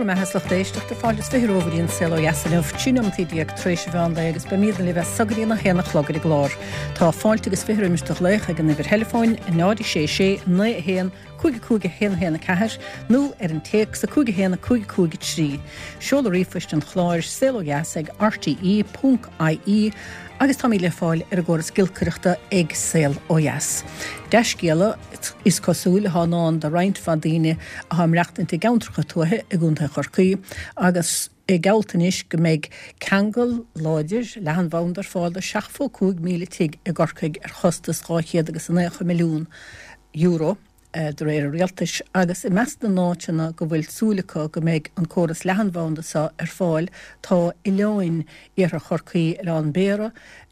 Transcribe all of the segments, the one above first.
mbeatha is lucht éisteachta, fáilte is 20 romhaibh go dtí an Saol Ó Dheas inniu, 13 nóimeataí tar éis an mheán lae agus beimídne libh as so go dtí an 1 a chlog ar an gclár. Tá fáilte agus 20 roimis do ghlaoch ag an uimhir theileafóin, 0 6 6 9 1 5 5 1 1 4 nó ar an téacs 5 1 5 5 3. Seoladh ríomhphoist an chláir, saolodheas ag rte ponc ie agus táimid le fáil ar an gcóras giolcaireachta ag Saol Ó Dheas. Dea-scéala, is cosúil, atá i ndán do roinnt mhaith daoine atá ag maireachtaint i gceantracha tuaithe i gContae Chorcaí agus é geallta anois go mbeidh ceangal láidir leathanbhanda ar fáil do 75,000 tigh i gCorcaigh ar chostas €290 milliún. De réir an rialtais, agus i measc na n-áiteanna go bhfuil súil acu go mbeidh an córas leathanbhanda seo ar fáil tá oileáin iarthar Chorcaí, Oileán Béarra,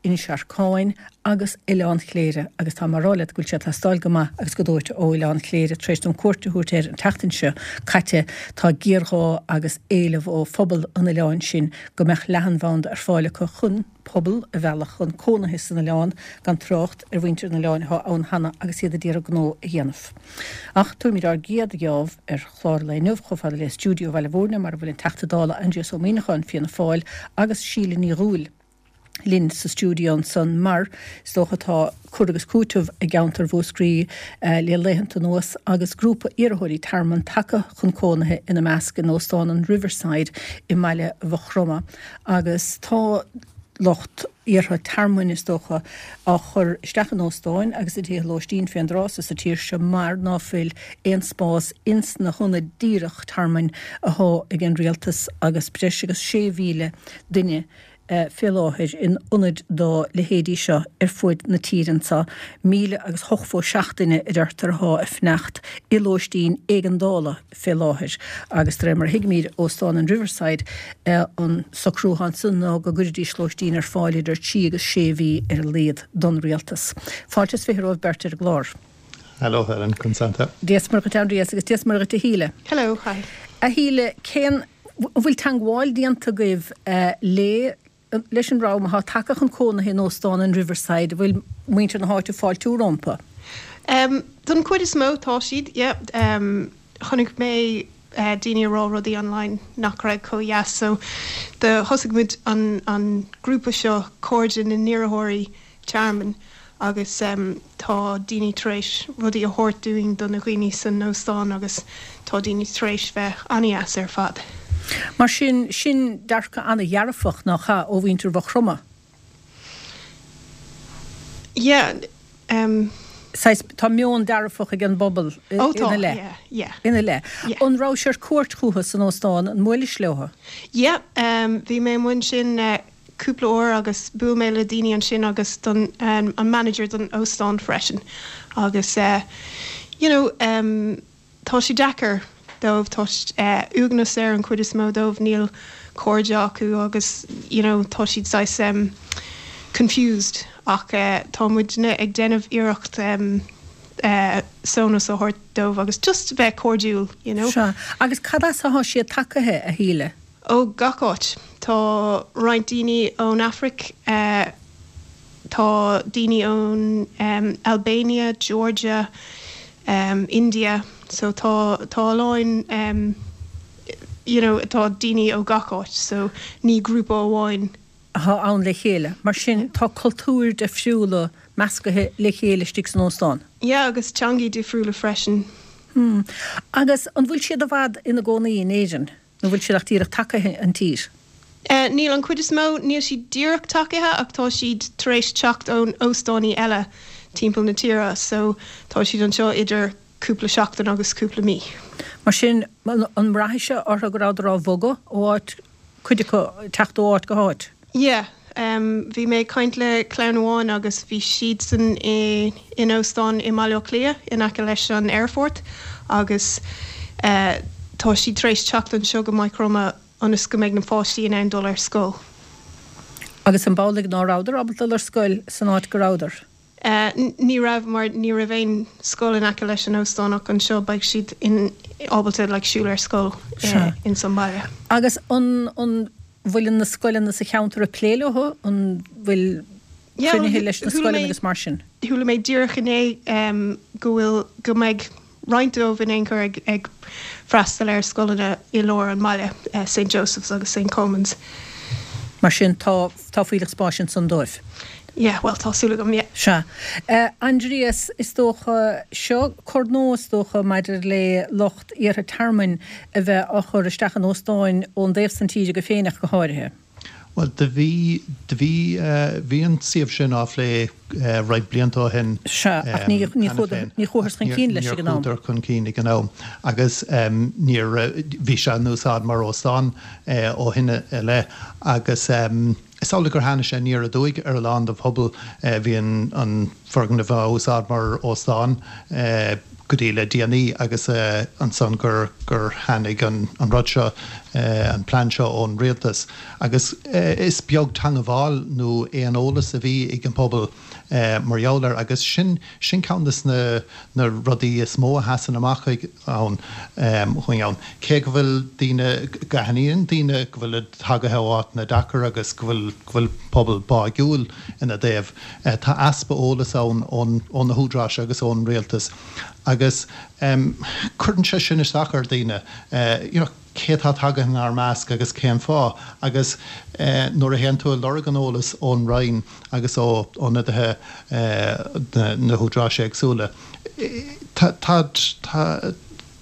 Inis Arcáin agus Oileán Chléire agus tá mé a rá leat go bhfuil sé ag teastáil go maith agus go dóite ó Oileán Chléire tar éis dom cuairt a thabhairt air an tseachtain seo caite tá géarghá agus éileamh ó phobal an oileáin sin go mbeadh leathanbhanda ar fáil acu chun pobal a mhealladh chun cónaithe san oileán, gan trácht ar mhuintir an oileáin atá ann cheana agus iad a d'iarraidh gnó a dhéanamh. Ach tabharfaimid ár gcéad gheábh ar chlár an lae inniu chomh fada le stiúideo Bhaile Bhúirne mar a bhfuil an Teachta Dála Aindrias Ó Muimhneacháin, Fianna Fáil, agus Síle Ní Dhubhghaill linn sa stiúideo ansan mar is dócha tá cur agus cúiteamh i gceantar Mhúscraí le laethanta anuas agus grúpa iarrthóirí tearmainn tagtha chun cónaithe ina measc in Óstán an Riverside i mbaile Mhaigh Chromtha agus tá lucht iarrtha tearmainn, is dócha, á chur isteach in óstáin agus i dtithe lóistín fén dtráth so sa tír seo mar ná fuil aon spás ins na hionaid díreach tearmainn athá ag an rialtas agus breis agus 6,000 duine fé láthair in ionaid dá leithéidí seo ar fuaid na tíre anso. 1,087 duine a deirtear athá ag fanacht i lóistín éigeandála fé láthair agus de réir mar a thuigimíd Óstán an Riverside an socrú athá ansan ná go gcuirfidís lóistín ar fáil idir trí agus sé mhí ar a laghad don rialtas. Fáilte is 20 romhaibh beirt ar an gclár. Hello Helen, conas tánn tú? Dia is Muire dhuit Aindrias agus Dia is Muire dhuit a Shíle. Hello, hi. A Shíle, cén, an bhfuil teangmháil déanta agaibh le, leis an dream athá tagtha chun cónaithe in Óstán an Riverside, an bhfuil muintir na háite ag fáiltiú rompu? Um, don chuid is mó tá siad, yeah. Um, chonaic mé uh, daoine ag rá rudaí online nach raibh chomh dheas, so do thosaigh muid an, an grúpa seo Cairde na nIarrthóirí Tearmainn agus tá daoine tar éis rudaí a thabhairt dúinn do na dhaoine san óstán agus tá daoine tar éis bheith an-dheas ar fad. Mar sin, sin dearcadh an-dhearfach, nach ea, ó mhuintir Mhaigh Chromtha? Yeah, em. Saghas, tá meon dearfach ag an bpobal Oh tá, ina leith. yeah, yeah. Ina leith. Yeah. An rabhais ar cuairt chucu san óstán, an mbuailis leo? Yeah, em, bhí mé amuigh ansin cúpla uair agus bhuail mé le daoine ansin agus don an manager don óstán freisin agus you know tá sé deacair dóibh tá uaigneas ar an chuid is mó dóibh níl cairde acu agus you know tá siad saghas confused ach tá muidne ag déanamh iarracht sónas a thabhairt dóibh agus just bheith cairdiúil you know. Sea. Agus cad as athá siad tagaithe, a Shíle? Ó gach áit. Tá roinnt daoine ón Afraic, tá daoine ón Albania, Georgia, India, so tá tá a lán you know tá daoine ó gach áit so ní grúpa amháin. athá ann le chéile. Mar sin tá cultúir difriúla meascaithe le chéile istigh san óstán. Yeah agus teangaí difriúla freisin. Hmm. Agus an bhfuil siad i bhfad ina gcónaí in Éirinn? Nó bhfuil siad ach díreach tagaithe an tír? Níl, an chuid is mó, níl siad díreach tagaithe ach tá siad tar éis teacht ón óstánaí eile timpeall na tíre so tá siad anseo idir cúpla seachtain agus cúpla mí. Mar sin, an mbraithfidh sé orthu go rabhadar á bhogadh ó áit, cuid acu, teacht ó áit go háit? Yeah. Bhí mé ag caint le clann amháin agus bhí siadsan i in óstán i mBaile Átha Cliath in aice leis an aerfort agus tá siad tar éis teacht anseo go Maigh Chromtha ionas go mbeidh na páistí in ann dul ar scoil. Agus an b'amhlaidh ná rabhadar ábalta dul ar scoil san áit go rabhadar? Ní raibh mar ní raibh aon scoil in aice leis an óstán ach anseo beidh siad in ábalta like siúl ar scoil ins an baile. Agus an an bhfuil na scoileanna sa cheantar ag plé leo? An bhfuil cruinnithe leis na scoileanna agus mar sin? Chuala mé díreach inné go bhfuil go mbeidh. roinnt dóibh in aon chor ag ag freastal ar scoileanna i lár an mbaile, St Joseph's agus St Colman's. Mar sin tá tá fuílleach spáis ansan dóibh. Yeah, bhuel tá súil agam, yeah. Sea. Aindrias, is dócha, seo cor nua is dócha maidir le lucht iarrtha tearmainn a bheith á chur isteach in óstáin ón dtaobh san tíre go Féineach go háirithe. Bhuel, do bhí, do bhí, bhí an suíomh sin á phlé roinnt blianta ó shin Sea, ach ní, ní cheana féin. ní chuathas chun cinn leis ag an am. Níor chuadar chun cinn ag an am agus níor, bhí sé in úsáid mar óstán ó shin i leith agus is amhlaidh gur tháinig sé aniar aduaidh ar a lán den phobal. Bhí an, an foirgneamh á úsáid mar óstán go dtí le déanaí agus ansan gur gur tháinig an an rud seo, an plean seo ón rialtas agus is beag teangabháil nó aon eolas a bhí ag an pobal mar gheall air agus sin sin ceann des na na rudaí is mó a sheasann amach ag ann chugainn ann. Cé go bhfuil daoine, go aithníonn daoine go bhfuilid tagaithe ó áiteanna deacair agus go bhfuil go bhfuil pobal báigiúil ina dtaobh, Tá easpa eolais ann ó na húdaráis agus ón rialtas agus cuireann sé sin isteach ar dhaoine, you know cé atá tagaithe inár measc agus cén fáth agus nuair a théann tú ag lorg an eolais ón Roinn agus ó ionadaithe na húdaráis éagsúla, tá tá tá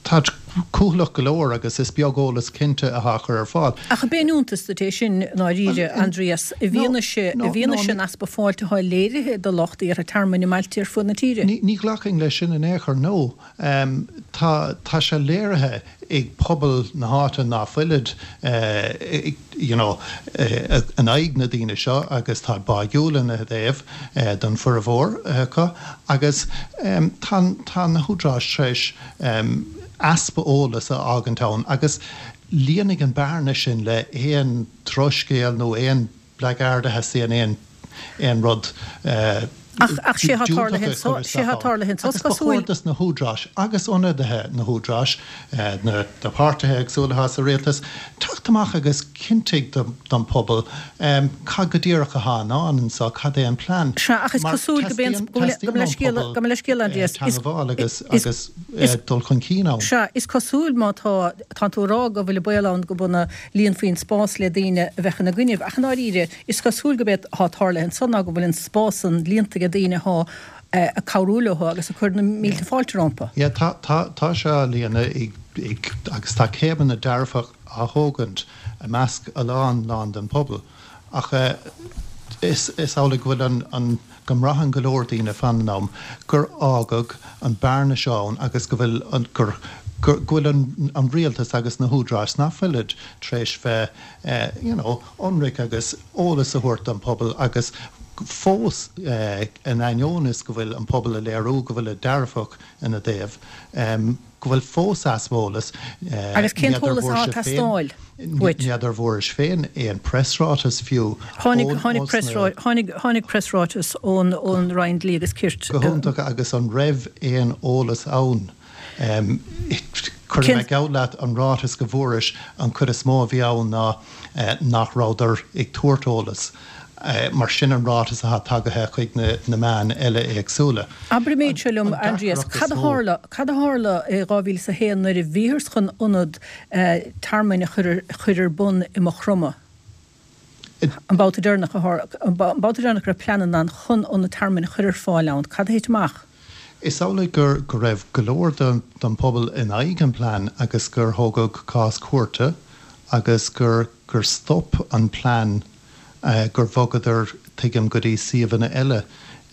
Táid cúthaileach go leor agus is beag eolas cinnte atá á chur ar fáil. Ach ab aon iontas duit é sin, i ndáiríre, Aindrias, i bhfianaise, i bhfianaise an easpa fáilte atá léirithe do lucht iarrtha tearmainn i mbailte ar fud na tíre? Ní ghlacfainn leis sin in aon chor, no. Tá, tá sé léirithe ag pobal na háite ná fuilid, you know, in aghaidh na daoine seo agus táid báigiúil ina dtaobh don bhformhór acu agus tá, tá na húdaráis tar éis easpa eolais a fhágaint ann agus líonfaidh an bearna sin le aon drochscéal nó aon blackguard a theastaíonn aon aon rud Ach sé atá diúltach a chur isteach ann. Agus ba chóir dos na húdaráis agus ionadaithe na húdaráis, na páirtithe éagsúla atá sa rialtas, teacht amach agus cinntigh don pobal cad go díreach atá i ndán anseo, cad é an plean. Sea, ach is cosúil go mbíonn, gabh mo leithscéal, gabh mo leithscéal, Aindrias, is, teangabháil agus, agus dul chun cinn ann. Sea, is cosúil má tá, tánn tú ag rá go bhfuil an baol ann go bhfuil líonfaí an spás le daoine a bheadh ina gcoinnibh, ach i ndáiríre, is cosúil go b'é atá tarlaithe ansan ná go bhfuil an spás san líonta ag daoine athá ag cabhrú leo agus ag cur na mílte fáilte rompu. Yeah, tá, tá, tá sé á líonadh ag, ag, agus tá céimeanna dearfach á thógaint i measc a lán, lán den pobal. Ach is, is amhlaidh go bhfuil an, an, go mbraitheann go leor daoine fan an am gur fhágadh an bearna seo ann agus go bhfuil an, gur, go bhfuil an, an rialtas agus na húdaráis ná fuilid tar éis bheith you know ionraic agus eolas a thabhairt don pobal agus fós in ainneoin is go bhfuil an pobal ag léiriú go bhfuilid dearfach ina dtaobh, go bhfuil fós easpa eolais. Agus cén t-eolas atá ag teastáil uait? N'fheadar bhfuairis féin aon preasráiteas fiú Tháinig, tháinig preasrá, tháinig, tháinig preasráiteas ón, ón Roinn Dlí agus Cirt. Go hiontach agus an raibh aon eolas ann? Cuirfidh mé geall leat an ráiteas go bhfuairis an chuid is mó a bhí ann ná nach rabhadar ag tabhairt eolas. Mar sin an ráiteas atá tagaithe chuig na meáin eile éagsúla. Abair an méid seo liom, Aindrias, cad a tharla, cad a tharla i 2001 nuair a bhíothas chun ionad tearmainn a chur ar bun i Maigh Chromtha? An babhta deireanach a tharla, an babhta deireanach go raibh pleananna ann chun ionad tearmainn a chur ar fáil ann, cad a thit amach? Is amhlaidh gur go raibh go leor den pobal in aghaidh an plean agus gur thógadh cás cúirte agus gur gur stop an plean gur bhogadar, tuigim, go dtí suíomhanna eile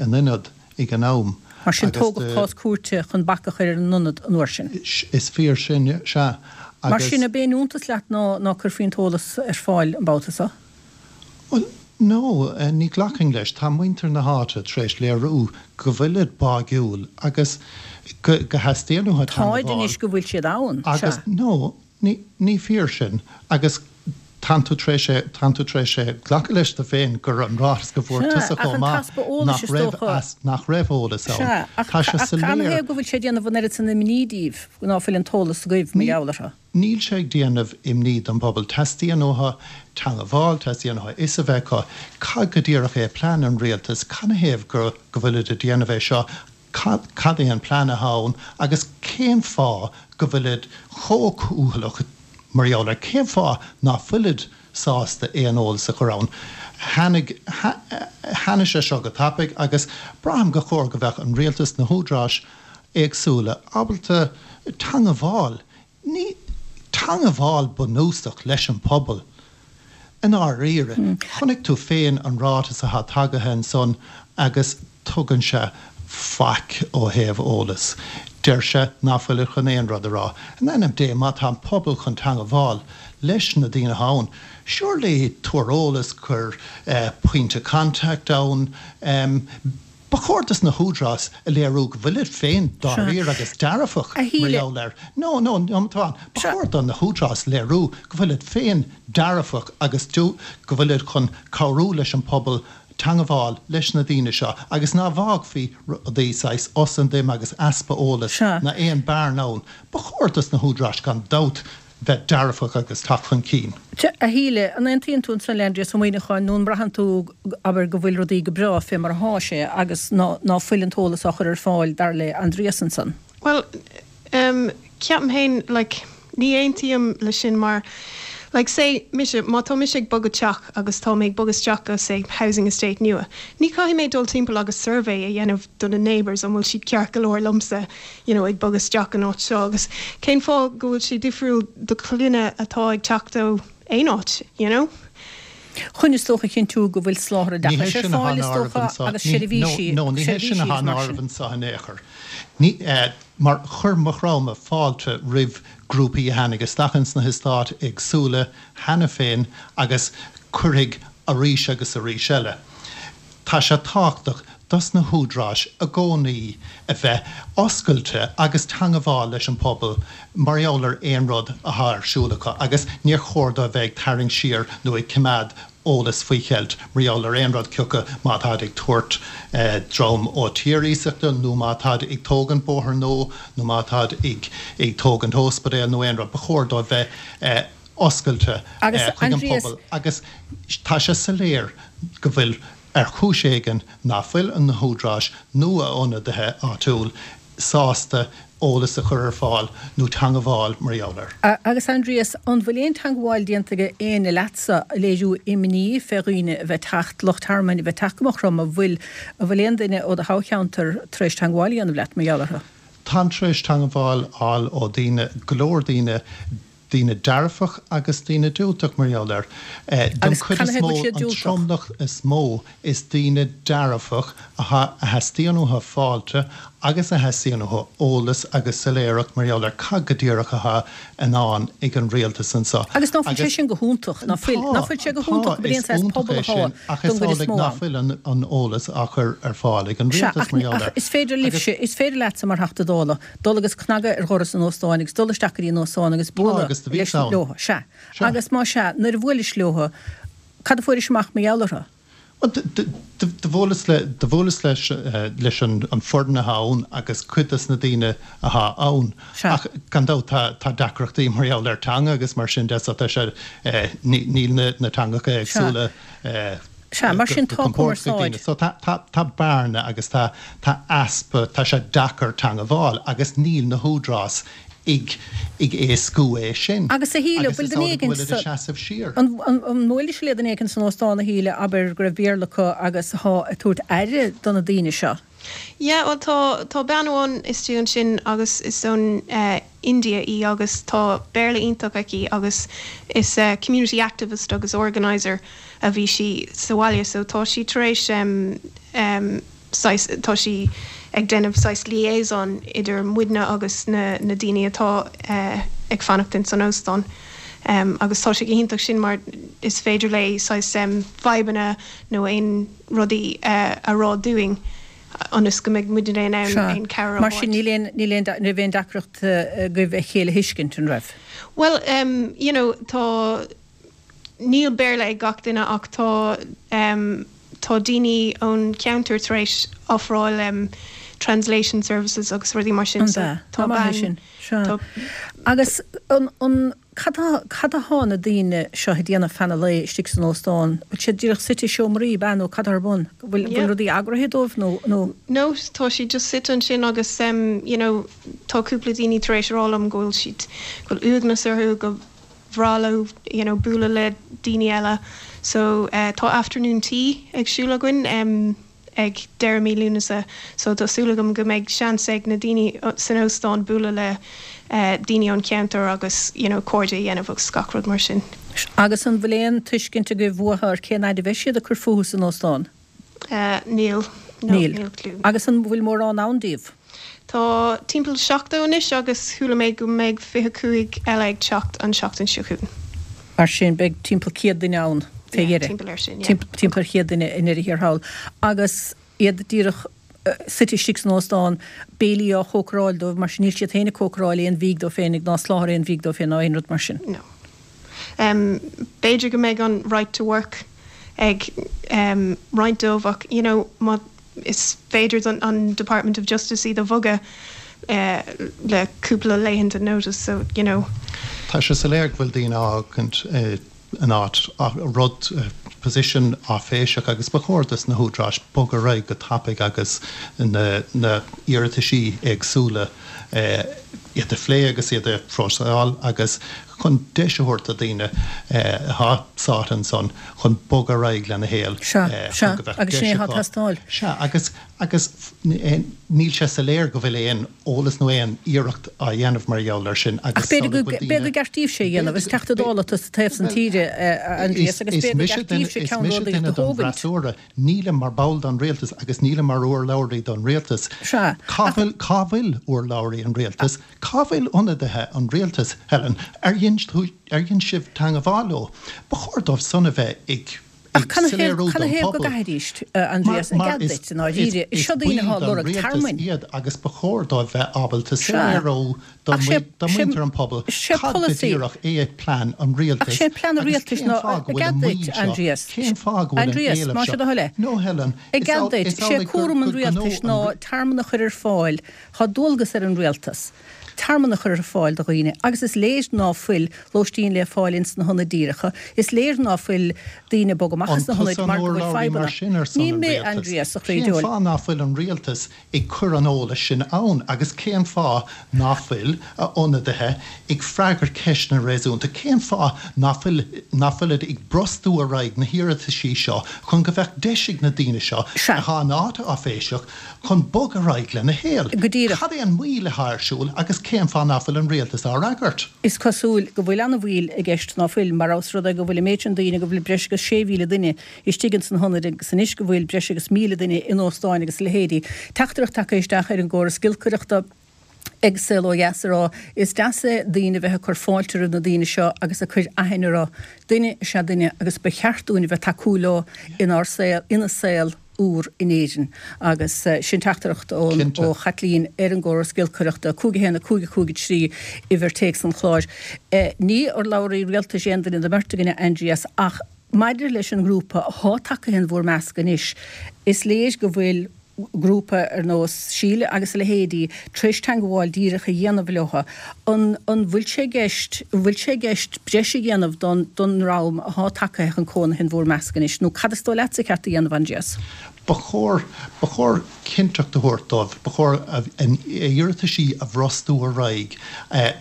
in ionad ag an am. Mar sin, tógadh cás cúirte chun bac a chur ar an ionad an uair sin. Is fíor sin, sea. Mar sin, ab aon iontas leat ná ná cuirfí an t-eolas ar fáil an babhta seo? Bhuel, no, ní ghlacfainn leis. Tá muintir na háite tar éis léiriú go bhfuilid báigiúil agus go go theastaíonn uathu Táid teangabháil. anois go bhfuil siad ann, sea. Agus, no, Ní, ní fíor sin. Agus tánn tú tar éis é, tánn tú tar éis é glacadh leis do féin gur an ráiteas go bhfuair Sea, tusa ach chomh an maith t-easpa eolais nach is raibh dócha. as, nach raibh eolas ann. Sea, ach, Tá sé ach soiléir. canathaobh go bhfuil sé ag déanamh an oiread san imní díbh ná fuil an t-eolas agaibh mar Ní, gheall orthu? níl sé ag déanamh imní don bpobal. Teastaíonn uathu teangabháil, teastaíonn uathu fhios a bheith acu cad go díreach é plean an rialtais, canathaobh go, go bhfuilid ag déanamh é seo. Cad é an plean atá ann agus cén fáth go bhfuilid chomh cúthaileach mar gheall air? Cén fáth ná fuilid sásta aon eolas a chur ann? Tháinig, tháinig sé seo go tapaidh agus braithim gur chóir go bheadh an rialtas, na húdaráis éagsúla ábalta teangabháil Ní teangabháil bunúsach leis an pobal. I ndáiríre, chonaic tú féin an ráiteas atá tagaithe ansan agus tugann sé faic ó thaobh eolas. Deir sé ná fuilid chun aon rud a rá. In ainm Dé, má tá an pobal chun teangabháil leis na daoine atá ann, surely tabhair eolas, cuir pointe contact ann, Ba chóir dos na húdaráis a léiriú go bhfuilid féin dáiríre agus dearfach A mar Shíle. gheall air. No, no, nóiméad amháin. Ba chóir do na húdaráis léiriú go bhfuilid féin dearfach agus go bhfuilid chun cabhrú leis an pobal teangabháil leis na daoine seo agus ná bhfágfaí rudaí saghas os an dim agus easpa eolais Sea. ná aon bearna ann. Ba chóir dos na húdaráis gan dabht bheith dearfach agus teacht chun cinn. A Shíle, an aontaíonn tú ansan le Aindrias Ó Muimhneacháin nó an mbraitheann tú, abair, go bhfuil rudaí go breá fé mar athá sé agus ná ná fuil an t-eolas á chur ar fáil dar le Aindrias ansan? Bhuel, em, ceapaim féin, like, ní aontaím le sin mar, like, say, mise, má tá mise ag bogadh teach agus tá mé ag bogadh isteach go, say, housing estate nua, ní chaithfidh mé dul timpeall agus survey a dhéanamh do na neighbours an bhfuil siad ceart go leor liomsa, you know, ag bogadh isteach an áit seo agus cén fáth go bhfuil sé difriúil do dhaoine atá ag teacht ó aon áit, you know? Chun is dócha a chinntiú go bhfuil soláthar Ní hé oideachais ar sin atá fáil in is áireamh dócha anseo. agus Ní, no, seirbhísí, no, ní hé sin seirbhísí atá agus in mar áireamh sin. anseo in aon chor. Ní, eh, mar chuir Maigh Chromtha fáilte roimh grúpaí a tháinig isteach ins na heastáit éagsúla cheana féin agus cuirfidh arís agus arís eile. Tá sé tábhachtach dos na húdaráis i gcónaí a bheith oscailte agus teangabháil leis an pobal mar gheall ar aon rud athá ar siúl acu agus níor chóir dóibh bheith ag tarraingt siar nó ag coimeád eolas faoi cheilt mar gheall ar aon rud cioca má táid ag tabhairt dream ó tír iasachta nó má táid ag tógaint bóthar nua nó má táid ag ag tógaint óspidéal nó aon rud. Ba chóir dóibh bheith oscailte Agus chuig an Aindrias. pobal agus tá sé soiléir go bhfuil, ar chúis éigin, ná fuil na húdaráis nó a ionadaithe áitiúil sásta eolas a chur ar fáil nó teangabháil mar gheall air. Agus Aindrias, an bhfuil aon teangabháil déanta ag éinne leatsa ag léiriú imní fé dhaoine a bheith teacht, lucht tearmainn a bheith teacht go Maigh Chromtha, an bhfuil, an bhfuil aon duine ó do thoghcheantar tar éis teangabháil a dhéanamh leat mar gheall orthu? Táim tar éis teangabháil fháil ó daoine, go leor daoine, daoine dearfach agus daoine diúltach mar gheall air. Don Agus chuid is canathaobh mó, bhfuil siad an diúltach? tromlach is mó, is daoine dearfach atá, a theastaíonn uathu fáilte agus a theastaíonn uathu eolas agus soiléireacht mar gheall ar cad go díreach atá i ndán ag an rialtas anseo. Agus ná fuil sé Agus sin go hiontach? Ná fuil, tá, ná fuil sé go tá, hiontach go bhfuil is aon saghas iontach pobal é atá sin ach don is gcuid is amhlaidh mó ná ann. fuil an, an eolas á chur ar fáil ag an Sea, rialtas ach, mar gheall ach air. is féidir Agus libhse, is féidir leatsa mar Theachta Dála dul agus cnagadh ar dhoras an óstáin agus dul isteach go dtí an óstán agus tá bualadh agus do bhíos leis ann. leo. Sea. Sea. Agus má sea, nuair a bhuailis leo, cad a fuairis amach mar gheall orthu? Bhuel, do bhuaileas le, do bhuaileas leis, leis an an foireann atá ann agus cuid des na daoine atá ann. Sea. Ach gan dabht tá, tá deacrachtaí mar gheall ar teanga agus mar sin de so tá sé, ní, níl na, na teangacha Sea. éagsúla, Sea, mar sin go tá compordach ag daoine. cumarsáid. So tá, tá, tá bearna agus tá, tá easpa, tá sé deacair teangabháil agus níl na húdaráis ag, ag éascú é sin. Agus a Shíle, Agus bhfuil is duine amhlaidh go éigin bhfuilid sa, ag seasamh siar. an, an, an mbuailis le duine éigin san óstán a Shíle, abair, go raibh Béarla acu agus athá ag tabhairt aire do na daoine seo? Yeah, bhuel tá, tá bean amháin istigh ansin agus is ón eh India í agus tá Béarla iontach aici agus is eh community activist agus organiser a bhí sí sa bhaile so tá sí tar éis em em saghas, tá sí ag déanamh saghas liaison idir muidne agus na na daoine atá eh ag fanacht ins an óstán. Em agus tá sé go hiontach sin mar is féidir léi saghas em fadhbanna nó aon rudaí a rá dúinn ionas go mbeidh muidne in ann Sea. aon cabhair a Mar sin thabhairt. níl aon, níl aon, ní raibh aon deacracht agaibh a chéile a thuiscint, an raibh? Bhuel, em, you know, tá, níl Béarla ag gach duine ach tá, em, tá daoine ón cheantar tar éis ofráil, em, translation services agus rudaí mar sin An so ea? tá Tá maith é bean, sin. Sea. tá. Agus an, an. Cad cad athá na daoine seo ag déanamh feadh an lae istigh san óstán? Bhfuil siad díreach suite i seomraí, ab ea, nó cad atá ar bun? Bhfuil bhfuil rudaí eagraithe dóibh nó nó? No, tá siad just suite ansin agus you know tá cúpla daoine tar éis a rá liom go bhfuil siad, go bhfuil uaigneas orthu, go bhreá leo you know bualadh le daoine eile. So tá afternoon tea ag siúl againn. ag deireadh mí Lúnasa so tá súil agam go mbeidh seans ag na daoine san óstán bualadh le daoine ón cheantar agus you know cairde a dhéanamh agus gach rud mar sin. Agus an bhfuil aon tuiscint agaibh uathu ar cén fhaid a bheidh siad ag cur fúthu san óstán? Níl. No, Níl. Níl clue. Agus an bhfuil mórán ann díobh? Tá timpeall 70 anois agus chuala mé go mbeidh 25 eile ag teacht an tseachtain seo chugainn. Mar sin, beidh timpeall 100 duine ann fé dheireadh. Timpeall air sin, yeah. Timpeall ar 100 duine i ndeireadh thiar thall. Agus iad díreach suite istigh san óstán, béilí á chócaráil dóibh, mar sin níl siad féin ag cócaráil aon bhídh dóibh féinig ná soláthar aon bhídh dóibh féin ná aon rud mar sin. No. B'fhéidir go mbeidh an right to work ag roinnt dóibh ach, you know, má Is féidir don an Department of Justice iad a bhogadh le cúpla laethanta notice so you know. Tá sé soiléir go bhfuil daoine á fhágaint in áit, rud, position áiféiseach agus ba chóir dos na húdaráis bogadh ar aghaidh go tapaidh agus na na iarrataisí éagsúla iad a phlé agus iad a phróiseáil agus chun deis a thabhairt do daoine atá sáite ansan chun bogadh ar aghaidh lena shaol Sea, sea, chun go mbeadh agus sin deis é atá ag acu. teastáil. Sea, agus, agus níl sé soiléir go bhfuil aon eolas nó aon iarracht á dhéanamh mar gheall air sin Ach agus b'fhéidir go, bhfuil b'fhéidir gur ceart daoibhse é a dhéanamh, is Teachta Dála tú sa taobh san tíre, a Aindrias, agus b'fhéidir gur ceart daoibhse is mise ceannródaíocht duine a don thógaint. bhfreasúra, Nílim mar ball don rialtas agus nílim mar urlabhraí don rialtas. Sea, Cá ach. bhfuil, cá bhfuil urlabhraí an rialtais? Cá bhfuil ionadaithe an rialtais, Helen? Ar dhein tú, ar dhein sibh teangabháil leo? Ba chóir dóibh san a bheith ag, Ach ag canathaobh, soiléiriú don canathaobh go phobal. gcaithfidís, a Mar, Aindrias, i mar gcead is, duit, i is, ndáiríre, is is seo daoine baill atá ag don lorg rialtas tearmainn. iad agus ba chóir dóibh bheith ábalta Sea. soiléiriú Ach sé, do sé, mhuintir an phobail sé cad go polasaí, díreach é plean an ach rialtais sé plean an agus rialtais cén ná, fáth go i bhfuil gcead an duit, mhoill seo, Aindrias, cén fáth go bhfuil an Aindrias, éileamh más seo. é do thoil é. No, Helen, I is gcead amhlaidh, duit, is sé amhlaidh gur, cúram an gur gnó rialtais an ná tearmann a chur ar fáil, tá dualgas ar an rialtas tearmann a chur ar fáil do dhaoine agus is léir ná fuil lóistín le fáil ins na hionaid díreacha, is léir ná fuil daoine ag bogadh amach An as na hionaid tusa an mar go bhfuil urlabhraí mar fadhbanna. sin ar son Ní an mé, rialtais? Aindrias, a chroí Cén diabhail. fáth ná fuil an rialtas ag cur an eolais sin ann agus cén fáth ná fuil a ionadaithe ag freagairt ceisteanna réasúnta? Cén fáth ná fuil ná fuilid ag brostú ar aghaidh na hiarrataisí seo chun go bheadh deis ag na daoine seo Sea. atá in áit áiféiseach chun bog ar aghaidh lena shaol? Go díreach. Cad é an mhoill atá ar siúl agus cén fáth ná fuil an rialtas á fhreagairt? Is cosúil go bhfuil ana-mhoill i gceist ná fuil, mar ós rud é go bhfuil an méid sin daoine, go bhfuil breis agus 6,000 duine istigh ins na hionaid agus anois go bhfuil breis agus 1,000 duine in óstáin agus a leithéidí. Teachtaireacht tagtha isteach ar an gcóras giolcaireachta ag Saol Ó Dheas ag rá, Is deas é daoine a bheith ag cur fáilte roimh na daoine seo agus ag cur aithne orthu. Duine is ea duine agus ba cheart dúinn a bheith tacúil leo inár saol, ina saol úr in Éirinn. Agus sin teachtaireacht ón, ó Chaitlín ar an gcóras giolcaireachta, 5 1 5 5 3, uimhir téacs an chláir. Ní urlabhraí rialtais aon duine den mbeirt againne, Aindrias, ach, Maidir leis an ngrúpa athá tagtha in bhur measc anois, is léir go bhfuil grúpa ar nós Síle agus a leithéidí tar éis teangabháil díreach a dhéanamh leo. An an bhfuil sé i gceist, an bhfuil sé i gceist breis a dhéanamh don don ndream athá tagtha chun cónaithe in bhur measc anois, nó cad is dóigh leatsa ceart a dhéanamh, Aindrias? Ba chóir, ba chóir cinnteacht a thabhairt dóibh, ba chóir a n-iarrataisí a bhrostú ar aghaidh.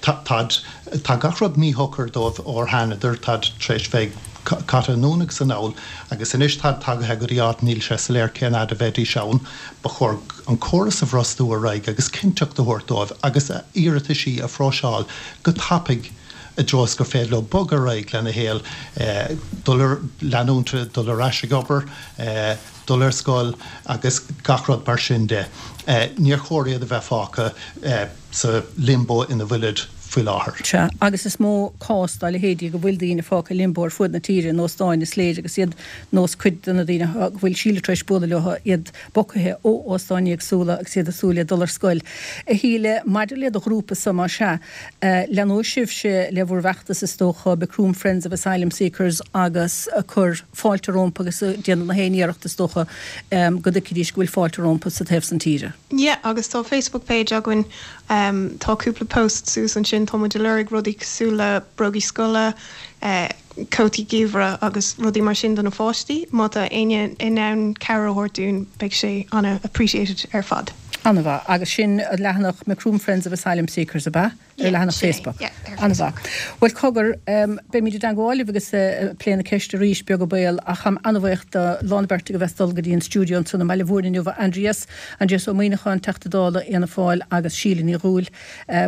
Táid, tá gach rud míshocair dóibh óir thánadar, táid tar éis bheith caite anonn agus anall agus anois táid tagaithe go dtí áit níl sé soiléir cén fhad a bheidís ann. Ba chóir an córas a bhrostú ar aghaidh agus cinnteacht a thabhairt dóibh agus a iarrataisí a phróiseáil go tapaidh i dtreo is gur féidir leo bogadh ar aghaidh lena shaol, dul ar, leanúint dul ar ais ag obair, dul ar scoil agus gach rud mar sin de. Níor chóir iad a bheith fágtha sa limbo ina bhfuilid faoi láthair. Sea, agus is mó cás dá leithéidí go bhfuil daoine fágtha i limbo ar fuaid na tíre in óstáin, is léir, agus iad nós cuid de na daoine go bhfuil Síle tar éis bualadh leo, iad bogtha ó óstáin éagsúla agus iad ag súil le dul ar scoil. A Shíle, maidir le do ghrúpa-sa, más ea, leanóidh sibhse le bhur bhfeachtas is dócha, Macroom Friends of Asylum Seekers agus ag cur fáilte rompu agus ag déanamh na haon iarracht is dócha go dtuigfidís go bhfuil fáilte rompu sa taobh san tíre. Yeah, agus tá Facebook page againn, tá cúpla post suas ansin. sin tá muid ag lorg rudaí cosúil le brógaí scoile, cótaí geimhridh agus rudaí mar sin do na pháistí. Má tá éinne in ann cabhair a thabhairt dúinn beidh sé ana-appreciated ar fad. An-mhaith. Agus sin an leathanach Macroom Friends of Asylum Seekers, ab ea? Ar leathanach Facebook. An-mhaith. Bhuel, cogar, beimid i dteangmháil libh agus ag plé na ceiste arís, beag an baol, ach táim an-bhuíoch do lán na beirte a bheith ag dul go dtí an stiúideo ansan i mBaile Mhúirne inniu, Aindrias, Aindrias Ó Muimhneacháin, Teachta Dála Fhianna Fáil agus Síle Ní Dhubhghaill,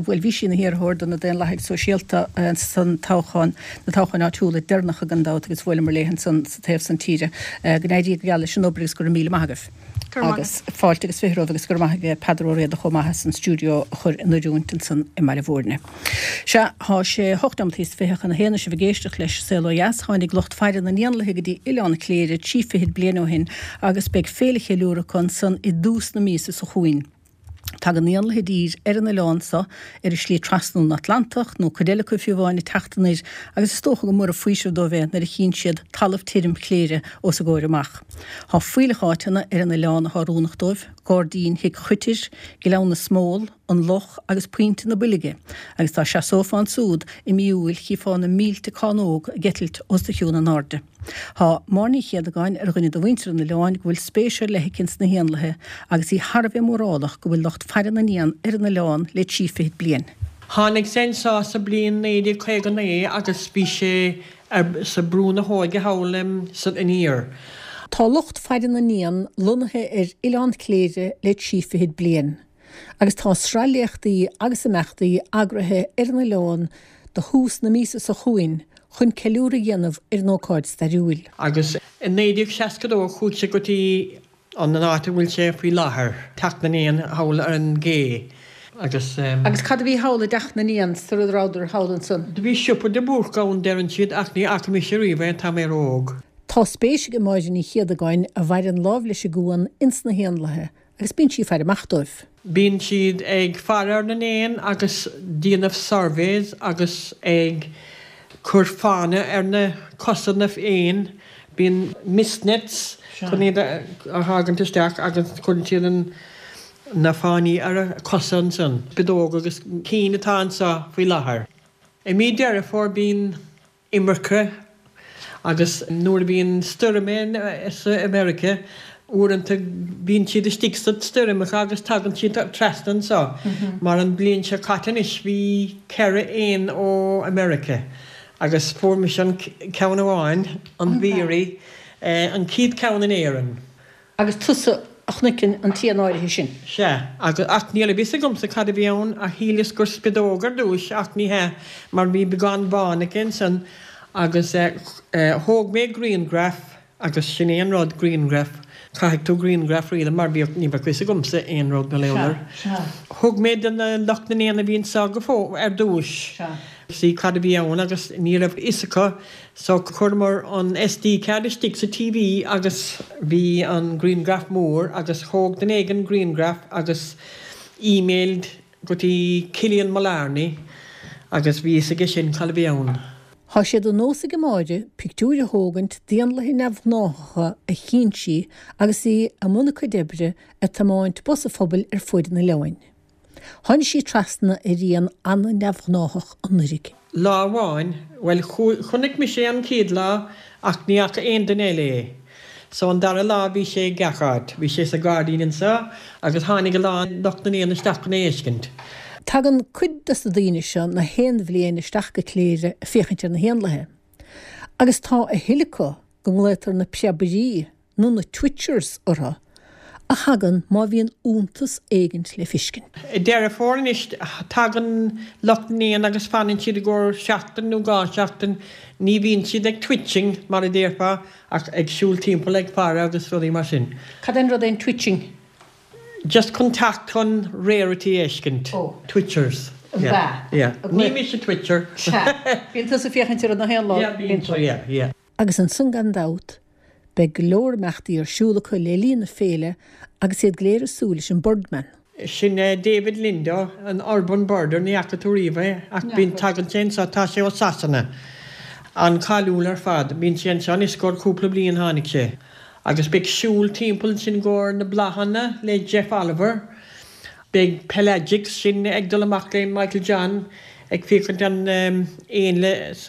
bhuel, bhí sí ina hiarrthóir do na Daonlathaigh Sóisialta san toghchán, na toghcháin áitiúla deireanacha gan dabht agus bhuaileamar léi ansan sa taobh san tíre. Go n-éirí go geal leis an obair agus go raibh míle maith agaibh. Agus fáilte agus 20 romhaibh agus go raibh maith ag Peadar Ó Riada chomh maith as an stiúideo a chur in oiriúint ansan i mBaile Mhúirne. Sea, tá sé hocht nóimeataí is 20 chun a haon is sibh ag éisteacht leis Saol Ó Dheas. Tháinig lucht faire na n-éanlaithe go dtí Oileán Chléire trí fichid bliain ó shin agus beidh féile cheiliúrtha acu ansan i dtús na míosa seo chugainn. Tagann éanlaithe i dtír ar an oileán so ar a slí trasna ón Atlantach, nó cuid eile acu fiú amháin ag teacht anoir, agus is dócha gur mór an faoiseamh dóibh é nuair a chíonn siad talamh tirim Chléire os a gcomhair amach. Tá fuílleach áiteanna ar an oileán athá oiriúnach dóibh, Gairdín Thigh Choitir, Gleann na Smól, an Loch agus Pointe na Boilge, agus dá seasófá ansúd i mí Iúil chífeá na mílte cánóg ag eitilt os do chionn in airde. Tá Máire Ní Chéadagáin ar dhuine de mhuintir an oileáin go bhfuil spéis ar leith aici ins na héanlaithe agus í thar a bheith mórálach go bhfuil lucht faire na n-éan ar an oileán le trí fichid bliain. Tháinig sé anseo sa bliain 1959 agus bhí sé ar sa Brú na hÓige thall san aniar. Tá lucht faire na n-éan lonnaithe ar Oileán Chléire le trí fichid bliain. Agus tá sraith léachtaí agus imeachtaí eagraithe ar an oileán do thús na míosa seo chugainn chun ceiliúradh a dhéanamh ar an ócáid stairiúil. Agus i 1962 chuaigh sé go dtí an áit a bhfuil sé faoi láthair, Teach na nÉan thall ar an gcé agus. Agus cad a bhí thall i dTeach na nÉan sar a rabhadar thall ansan? Do bhí siopa de Búrca ann deireann siad ach ní fhaca mise riamh é, tá mé ró-óg. Tá spéis ag Máire Ní Chéadagáin, a mhaireann lámh leis an gcuan, ins na héanlaithe Agus bíonn sí ag faire amach dóibh. Bíonn siad ag faire ar na n-éan agus déanamh surveys agus ag cur fána ar na cosa na n-éan. Bíonn mist nets chun iad a tharraingt isteach agus cuireann siad an na fánaí ar a cosa ansan. Spideog agus cinn atá anseo faoi láthair. I mí Deireadh Fómhair bíonn imirce agus nuair a bhíonn stoirm sa America uaireanta bíonn siad istigh sa stoirmeacha agus tagann siad trasna anseo mar an bliain seo caite anois bhí 4 éan ó America agus fuair mise an ceann amháin, an veery, an chéad ceann in Éirinn. Agus tusa a chonaic an t-éan áirithe sin. Sea, agus, ach ní raibh fhios agamsa cad a bhí ann, ach shíleas gur spideog ar dtúis, ach ní hea, mar bhí beagán bán aici ansan, agus eh, thóg mé grianghraf, agus sin é an rud, grianghraf, caithfidh tú grianghraf a thógáil mar bhíodh, ní bheadh fhios agamsa aon rud go leor. Thug mé do na lucht na n-éan a bhí anso go fóill, ar dtúis, see cad a bhí ann agus ní raibh fhios acu So chuireamar an SD card istigh sa TV agus bhí an grianghraf mór agus thóg duine éigin grianghraf agus emailed go dtí Cillian Mullarney agus bhí fhios aige sin cad a bhí ann. Tá sé de nós ag Máire pictiúir a thógaint d'éanlaithe neamhghnáthacha a chíonn sí agus í i mbun a cuid oibre ag tiomáint bus an phobail ar fuaid an oileáin. Tháinig sí trasna ar éan an-neamhghnáthach anuraidh. Lá amháin, bhuel, chonaic mise é an chéad lá ach ní fhaca aon duine eile é. So an dara lá bhí sé gach áit. Bhí sé sa ghairdín anseo agus tháinig a lán lucht na n-éan isteach chun é a fheiscint. Tagann cuid des na daoine seo na haon bhliain isteach go Cléire ag féachaint ar na héanlaithe. Agus tá a thuilleadh acu go nglaotar na preabairí nó na twitchers orthu, a thagann má bhíonn iontas éigint le fiscint. I Deireadh Fómhair anois tagann lucht na n-éan agus fanann siad i gcomhair seachtain nó dhá sheachtain. Ní bhíonn siad ag twitching mar a déarfá ach ag siúl timpeall ag faire agus rudaí mar sin. Cad é an rud é an twitching? Just chun teacht chun rarity a fheiscint. Oh. Twitchers. An Yeah, bea? yeah. Ní mise twitcher. Sea. Bíonn tusa ag féachaint ar na héanlaith. Yeah, bíonn, yeah, yeah. Agus ansan gan dabht, beidh go leor imeachtaí ar siúl acu le linn na féile agus iad go léir ag súil leis an Birdman. Sin David Lindo, an urban birder, ní fhaca tú riamh é ach bíonn, tagann sé anseo, tá sé ó Sasana. An-cháiliúil ar fad. Bíonn sé anseo anois gcomhair cúpla bliain tháinig sé. Agus beidh siúl timpeall ansin gcomhair na bláthanna le Jeff Oliver. Beidh Pelagics, sin ag dul amach le Michael John. Ag féachaint an éanlaith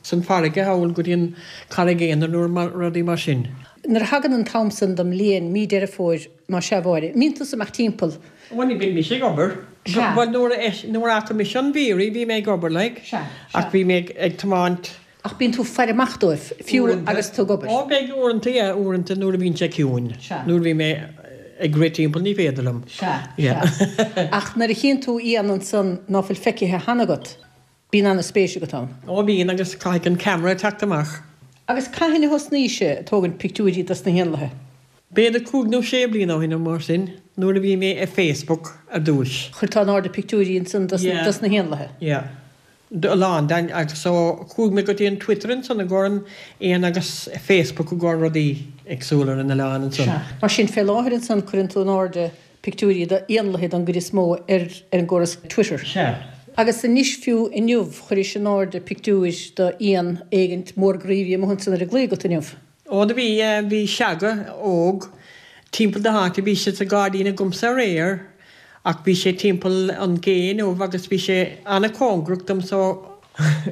san farraige thall go dtí an Carraig Aonair nó rudaí mar sin. Nuair a thagann an t-am san den mbliain, mí Deireadh Fómhair, más ea a Mháire, an mbíonn tusa amach timpeall? Bhuel ní bhíonn mise ag obair. Sea. Bhuel nuair a nuair a fhaca mise an veery bhí mé ag obair like. Sea, sea. Ach bhí mé ag tiomáint. Ach bíonn tú ag faire amach dóibh, fiú agus tú ag obair. Ó beidh uaireanta, yeah, uaireanta nuair a bhíonn sé ciúin. Sea. Nuair a bhí mé ag rith timpeall ní féidir liom. Sea, Yeah. sea. Ach nuair a chíonn tú éan ansan ná fuil feicthe cheana agat, bíonn ana-spéis agat ann. Ó bíonn agus caithfidh an camera teacht amach. Agus cathain a thosnaís ag tógaint pictiúirí dos na héanlaithe? B'fhéidir cúig nó sé bliana ó shin nó mar sin, nuair a bhí mé ar Facebook ar dtúis. Chuir tú in airde pictiúirí ansan dos na héanlaithe? Yeah. A lán den, agus so chuaigh mé go dtí an Twitter ansan i gcomhair an éan agus Facebook i gcomhair rudaí éagsúla ar an oileán ansan. Sea. Mar sin, fé láthair ansan cuireann tú in airde pictiúirí d'éanlaithe don gcuid is mó ar ar an gcóras Twitter. Sea. Agus anois fiú inniu chuiris in airde pictiúir d'éan éigint mór groí a bhí amuigh ansan ar an gclaí agat inniu. Ó do bhí, bhí seaga óg timpeall na háite, bhí sé sa gairdín agamsa aréir ach bhí sé timpeall an gé inniu agus bhí sé ana-chóngarach dom so.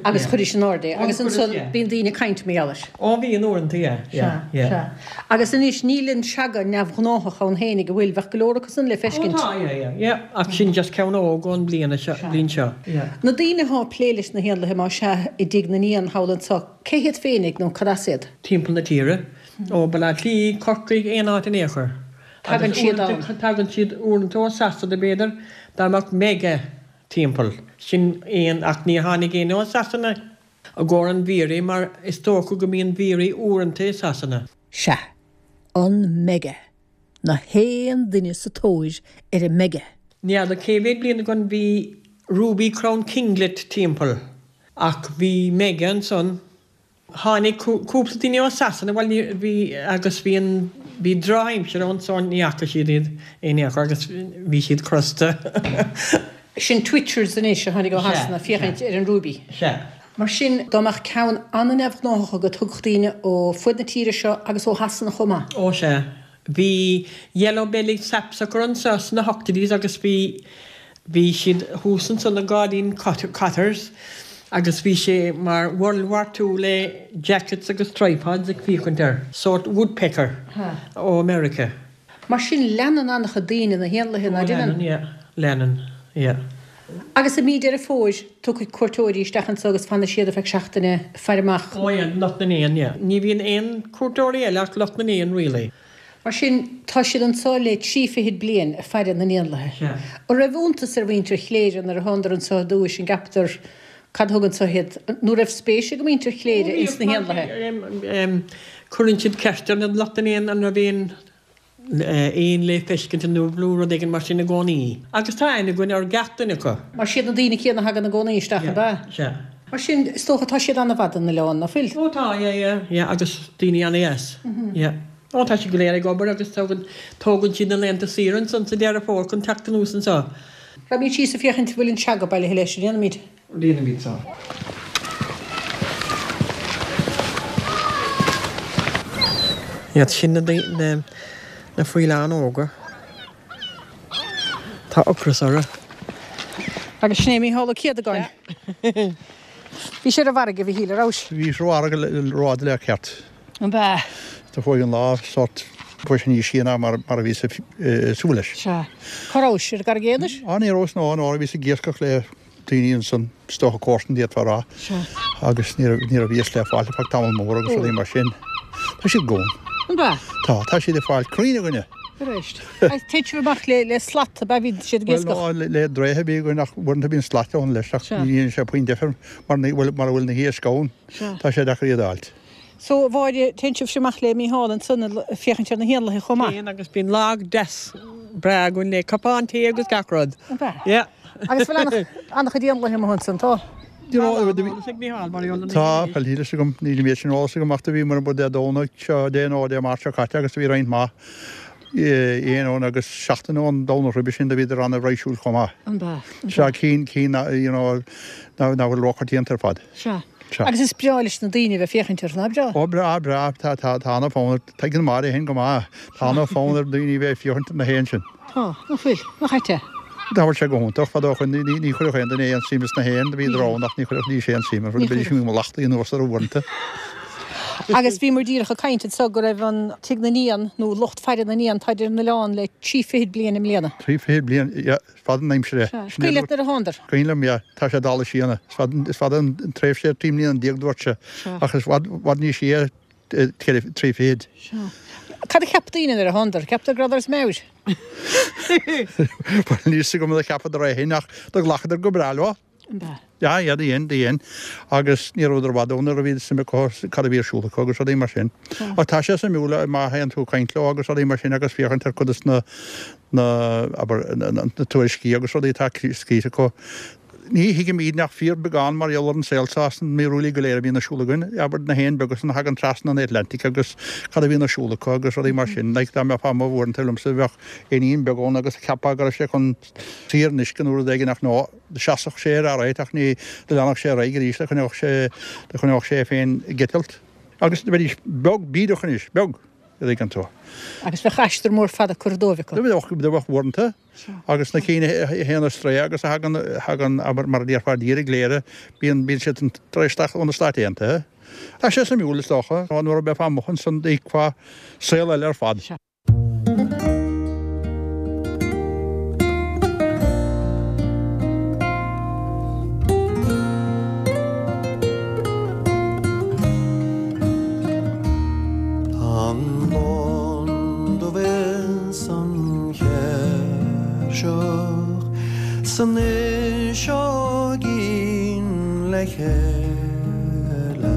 Agus chuiris in airde é agus ansan bíonn daoine ag caint mar gheall air. Ó bhíonn uaireanta, yeah, yeah, yeah. Sea, sea. Agus anois níl an seaga neamhghnáthach ann fhéinig, an bhfuil? Bheadh go leor acu san le feiscint. Ó tá, yeah, yeah, yeah. Ach sin just ceann óg ón bliana seo, bliain seo, yeah. Na daoine athá ag plé leis na héanlaithe más ea i dTigh na nÉan thall anso, Cé hiad féinig nó cad as iad? Timpeall na tíre. Ó Baile Átha Cliath, Corcaigh, aon áit in aon chor. Tagann siad ann. Tagann siad uaireanta ó Sasana b'fhéidir, dá mbeadh mega timpeall. Sin éan ach ní tháinig éinne ó Sasana i gcomhair an veery mar is dócha go mbíonn veery uaireanta i Sasana. Sea, an mega. Na haon duine sa tóir ar an mega. Ní fheadar cé mhéad bliain ó shin bhí Ruby Crown Kinglet timpeall ach bhí mega ansan. Tháinig cúpla duine ó Sasana, bhuel ní, bhí, agus bhí an, bhí drochaimsir ann so ní fhaca siad iad in aon chor agus bhí siad crosta. Sin Twitchers anois a tháinig ó Shasana féachaint ar an Ruby. Sea. Mar sin, dá mbeadh ceann an-neamhghnáthach agat thiocfadh daoine ó fuaid na tíre seo agus ó Shasana chomh maith. Ó sea. Bhí Yellow Bellied Sapsucker anseo sna hochtóidí agus bhí, bhí siad thuas ansan i ngairdín Cotters agus bhí sé mar World War Two le jackets agus tripods ag féachaint air. Sórt woodpecker ó America. Mar sin, leanann an-chuid daoine na héanlaithe, ná leanann? Ó, leanann, yeah. Leanann, yeah. Agus i mí Deireadh Fómhair, tiocfaidh cuairteoirí isteach anso agus fanfaidh siad ar feadh seachtaine ag faire amach. Ó, yeah, lucht na n-éan, yeah. Ní bhíonn aon cuairteoirí eile ach lucht na n-éan, really. Mar sin, tá siad anso le trí fichid bliain ag faire na n-éanlaithe. Sea. An raibh iontas ar mhuintir Chléire nuair a thánadar anso ar dtúis, an gceapadar, cad a thug anso iad? Nó raibh spéis ag muintir Chléire ins na héanlaithe? Cuireann siad ceist ar na lucht na n-éan an raibh aon éan le feiscint inniu nó rud éigin mar sin i gcónaí. Agus tá aithne againn ar gach duine acu. Mar siad na daoine céanna a thagann i gcónaí isteach, ab ea? Sea. Mar sin, is dócha, tá siad an-fhada ar an oileán, ná fuil? Ó tá, yeah, yeah, yeah, agus daoine an-dheas, yeah. Ó tá siad go léir ag obair agus tógann, tógann siad na laethanta saoire ansan sa Deireadh Fómhair chun teacht anuas anseo. Raghaimid síos ag féachaint an bhfuil an seaga bailithe leis, an ndéanfaimid? Déanfaimid so. Iad sin na na na faoileáin óga. Tá ocras orthu. Agus sin é Mícheál Ó Céadagáin. Bhís ar an bhfarraige, a Mhichíl, an rabhais? Bhíos ar an bhfarraige rófhada le ceart. An b'ea? Do chuaigh an lá sórt chuaigh sé níos sia ná mar a bhíos ag súil leis. Sea. Cá rabhais? Ar an gCarraig Aonair? Á ní rabhas ná, ná bhíos ag iascach le daoine ansan, is dócha comharsan d'fhéadfá a rá, agus ní raibh, ní raibh iasc le fáilt ar feadh tamall mór agus rudaí mar sin. Tá siad gann. An b'ea? Tá, tá siad ag fáil cruinn againne. Arís. Agus téann sibh amach le, le slat, ab ea bhíonn siad ag Bhuel, iascach? ná, le, le draoithe a bhí againn ach uaireanta bíonn slait ann leis ach ní dhéanann sé puinn difir mar ní bhfuil, mara bhfuil na hiasc ann, tá sé deacair iad a fháilt. So, a Mháire, téann sibhse amach le Mícheál ansan ag féachaint ar na héanlaithe chomh maith? Téann, agus bíonn lá deas breá againn le cupán tae agus gach rud. An b'ea? Yeah. Agus bhfuil an-chuid éanlaithe amuigh ansan, tá? You know, tá, bhuel, níl fhios agam, níl an méid sin eolas agam ach do bhíomar amuigh Dé Domhnaigh seo, Dé nó Dé Máirt seo caite agus do bhí roinnt mhaith éan ann agus seachtain ón Domhnach roimhe sin do bhíodar ana-raidhsiúil chomh maith. An b'ea? Sea, cinn, cinn, you know, nach bhfuil róchoitianta ar fad. Sea. Sea. Agus is breá leis na daoine a bheith féachaint orthu, nach breá? Ó, breá, breá. Tá, tá, tá ana-fhonn ar, tuigeann Máire féin go maith, tá ana-fhonn ar daoine a bheith ag féachaint ar na héin sin. Tá, nach bhfuil? Nach ait é? Dá bhfuil sé go hiontach, fadó ó shoin ní chuirfeadh aon duine aon suim sna héin, do bhíodar ann ach ní chuirfeadh aon suim iontu, bheidís ina lachtí anuas orthu uaireanta. Agus bhíomar díreach ag caint anso go raibh an Tigh na nÉan, nó lucht faire na n-éan, táid ar an oileán le trí fichid bliain i mbliana. Trí fichid bliain, yeah, is fada an aimsir é. Sea. Is cuimhin leat nuair a thánadar? Cuimhin liom, yeah, tá sé dála síona. Is fada, is fada an tréimhse, 13 mbliana dúirt sé, ach is i bhfad, bhfad níos sia ceithre, trí fichid. Sea. Cad a cheap daoine nuair a thánadar? Cheapadar go rabhadar as meabhair? Bhuel, níl 'fhios agam cad a cheapadar é féin ach do ghlacadar go breá leo. An b'ea? Yeah, yeah, do dhein, do dhein. Agus ní rabhadar i bhfad ann nuair a bhí suim acu cad a bhí ar siúl acu agus rudaí mar sin. Ach tá sé suimiúil má théann tú ag caint leo agus rudaí mar sin agus féachaint ar cuid de na, na, abair, na tuairiscí agus rudaí atá scríte acu. Ní thuigimíd ach fíorbheagán mar gheall ar an saol seo is na míorúiltí go léir a bhíonn ar siúl againn, abair, na héin beaga san a thagann trasna an Atlantic agus cad a bhíonn ar siúl acu agus rudaí mar sin. Like, dá mbeifeá amuigh uaireanta liomsa, bheadh éinín beag ann agus cheapfá go raibh sé chun suí ar an uisce nó rud éigin ach no, do sheasfadh sé air alright ach ní, do leanfadh sé ar aghaidh arís, do choinneodh sé, do choinneodh sé é féin ag eitilt. Agus do bheidís beag bídeach anois, beag, a dtuigeann tú. Agus bheadh aistear mór fada curtha dóibh acu. Do bheadh, do bheadh uaireanta. Agus na cinn a théann ar strae agus a thagann, thagann, abair, mar a déarfá i dtír i gCléire, bíonn, bíonn siad tar éis teacht ó na Stáit Aontaithe. Tá sé suimiúil, is dócha, nuair a bheifeá amuigh ansan d'fheicfeá saol eile ar fad. Tá an lon dubh is an chéirseach 's an fhuiseoigín le chéile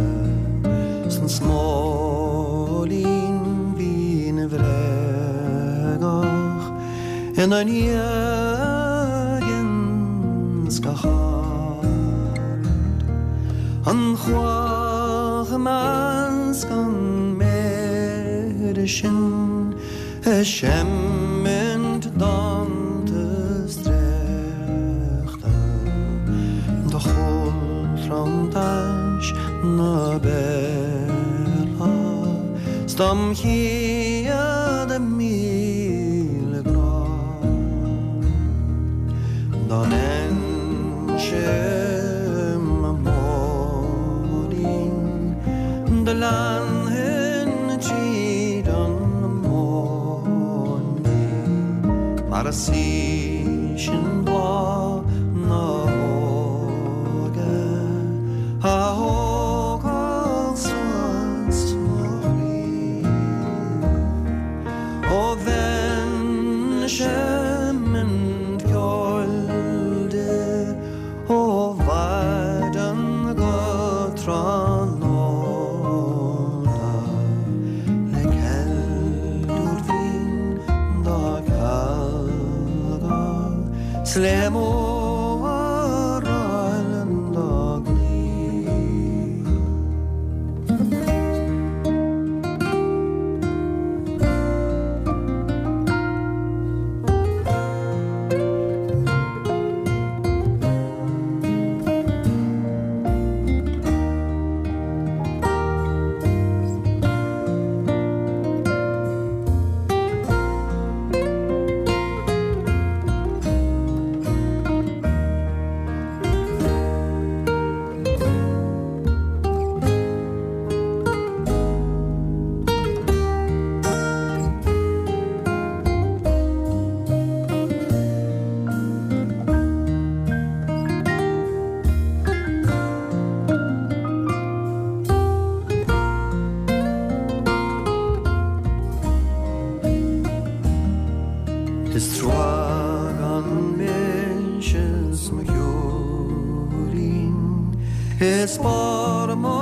's an smóilín binn bhréagach ina ndiaidh ins gach aird. An chuach i measc an méide sin Ag seimint dánta 's dréachta do chúlthranntais na béarla 's dom chéad 1000 grá dá mbeinnse i mo mhóirín do leanfainn tríd an móinín mar is í sin bláth na hóige a thógfadh suas mo chroí. Ó bheinn ag seimint ceoil di ó mhaidin go tráthnóna le ceiliúr bhinn dá cealgadh 's le mór-áil dá gcloí. Is trua gan mise is mo shiúirín Is barr mo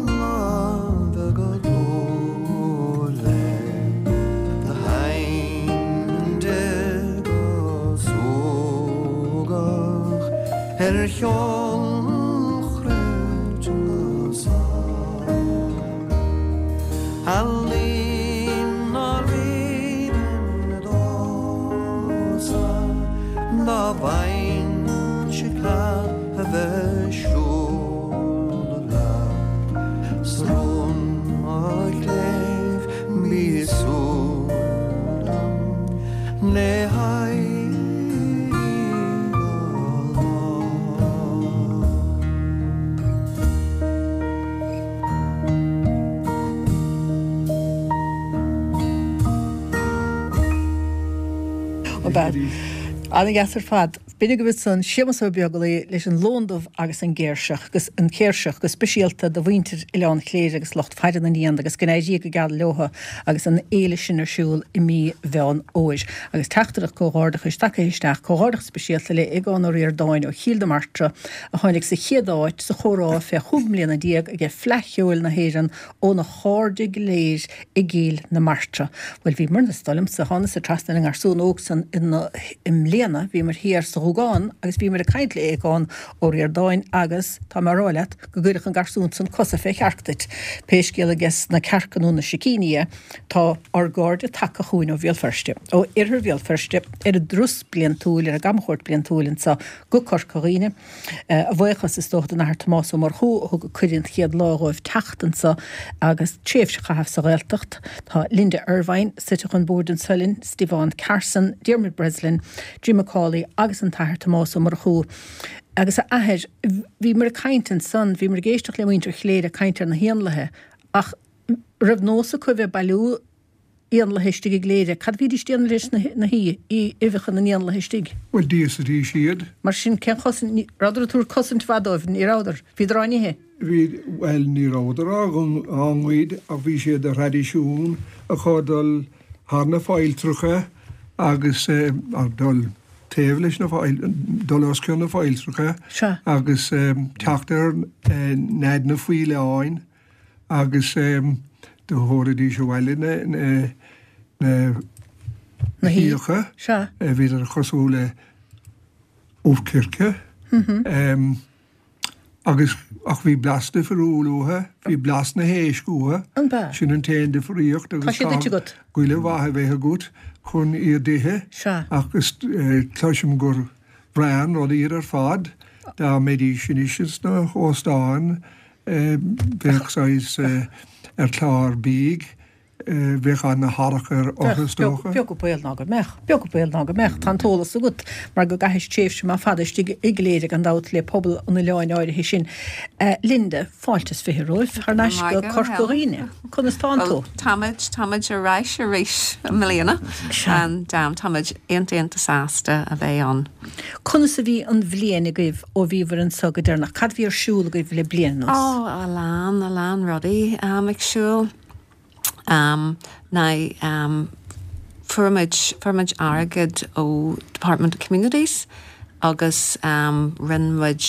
láimhe go dlúth léi Do sheinninn di go súgach Ar cheol chruit na sál Ealaín ná ríomhainn domhsa Dá bhfaighinnse cead a bheith siúl leat 's rún mo chléibh bí súil liom le haghaidh. fad. Ana-dheas ar fad. B'in agaibh ansan Séamus Ó Beaglaoi leis an lon dubh agus an gcéirseach, agus an chéirseach go speisialta do mhuintir Oileán Chléire agus lucht faire na n-éan agus go n-éirí go geal leotha agus an fhéile sin ar siúl i mí Mheán Fhómhair. Agus teachtaireacht comhghairdeachais tagtha isteach, comhghairdeachas speisialta le Aogán Ó Ríordáin ó Chill na Martra a tháinig sa chéad áit sa chomhrá fé chúig mbliana déag aige Fleadh Cheoil na hÉireann óna chairde go léir i gCill na Martra. Bhuel, bhíomar-na, is dóigh liomsa, thánasa trasna ar an ngarsún óg san i mbliana, bhíomar thiar sa Ghúgán agus bhíomar ag caint le Aogán Ó Ríordáin agus, tá mé a rá leat, go gcuirfeadh an garsún san cosa fé chearc duit. Pé scéal aige na cearca nó na sicíní é, tá ár gcairde tagtha chugainn ó Bhéal Feirste, ó Oirthear Bhéal Feirste, ar a dturas bliantúil, ar a gcamchuairt bliantúil anso go Corca Dhuibhne. A bhuíochas, is dócha, don Athair Tomás Ó Murchú a thug cuireadh an chéad lá dhóibh teacht anso agus tréimhse a chaitheamh sa Ghaeltacht. Tá Linda Ervine suite chun boird anso linn, Stiofán Carson, Diarmuid Breslin, Jim McCauley agus an tAthair Tomás Ó Murchú. Agus a Athair, bhíomar ag caint ansan, bhíomar ag éisteacht le muintir Chléire ag caint ar na héanlaithe ach raibh nós acu a bheith ag bailiú éanlaithe istigh i gCléire. Cad a bhídís ag déanamh leis na huibheacha na n-éanlaithe istigh? Bhuel, d'íosaidís iad. Mar sin, cén chosaint, ní rabhadar ag tabhairt cosaint mhaith dóibh, ní rabhadar. Bhíodar á n-ithe. Bhí, bhuel, ní rabhadar á ngoid ach bhí sé de thraidisiún acu dul thar na failltreacha agus dul taobh leis na faill, dul os cionn na failltreacha agus teacht ar nead na faoileáin. agus do thabharfaidís abhaile na huibheacha, bhíodar cosúil le ubh circe, agus ach bhí blas difriúil uathu, bhí blas na héisc uathu, sin an t-aon difríocht agus caithfidh goile mhaith a bheith agat chun iad d'ithe, ach cloisim gur breá an rud iad ar fad, dá mbeidís anois sna hóstáin Bheadh saghas ar chlár bídh, bheadh ana-tharrac orthu is dócha. Beag an baol ná go mbeadh, beag an baol ná go mbeadh. Tá an t-eolas agat mar go gcaithis tréimhse maith fada istigh i gCléire gan dabht le pobal an oileáin áirithe sin. Linda, fáilte is 20 romhaibh thar n-ais go Corca Dhuibhne. Conas tánn tú? Táimid, táimid ar ais arís i mbliana and táimid iontach iontach sásta a bheith ann. Conas a bhí an bhliain agaibh ó bhíobhair anso go deireanach? Cad a bhí ar siúl agaibh le bliain anuas? Ó, a lán, a lán rudaí ag siúl. Now, fuair muid, fuair muid airgead ó Department of Communities agus rinne muid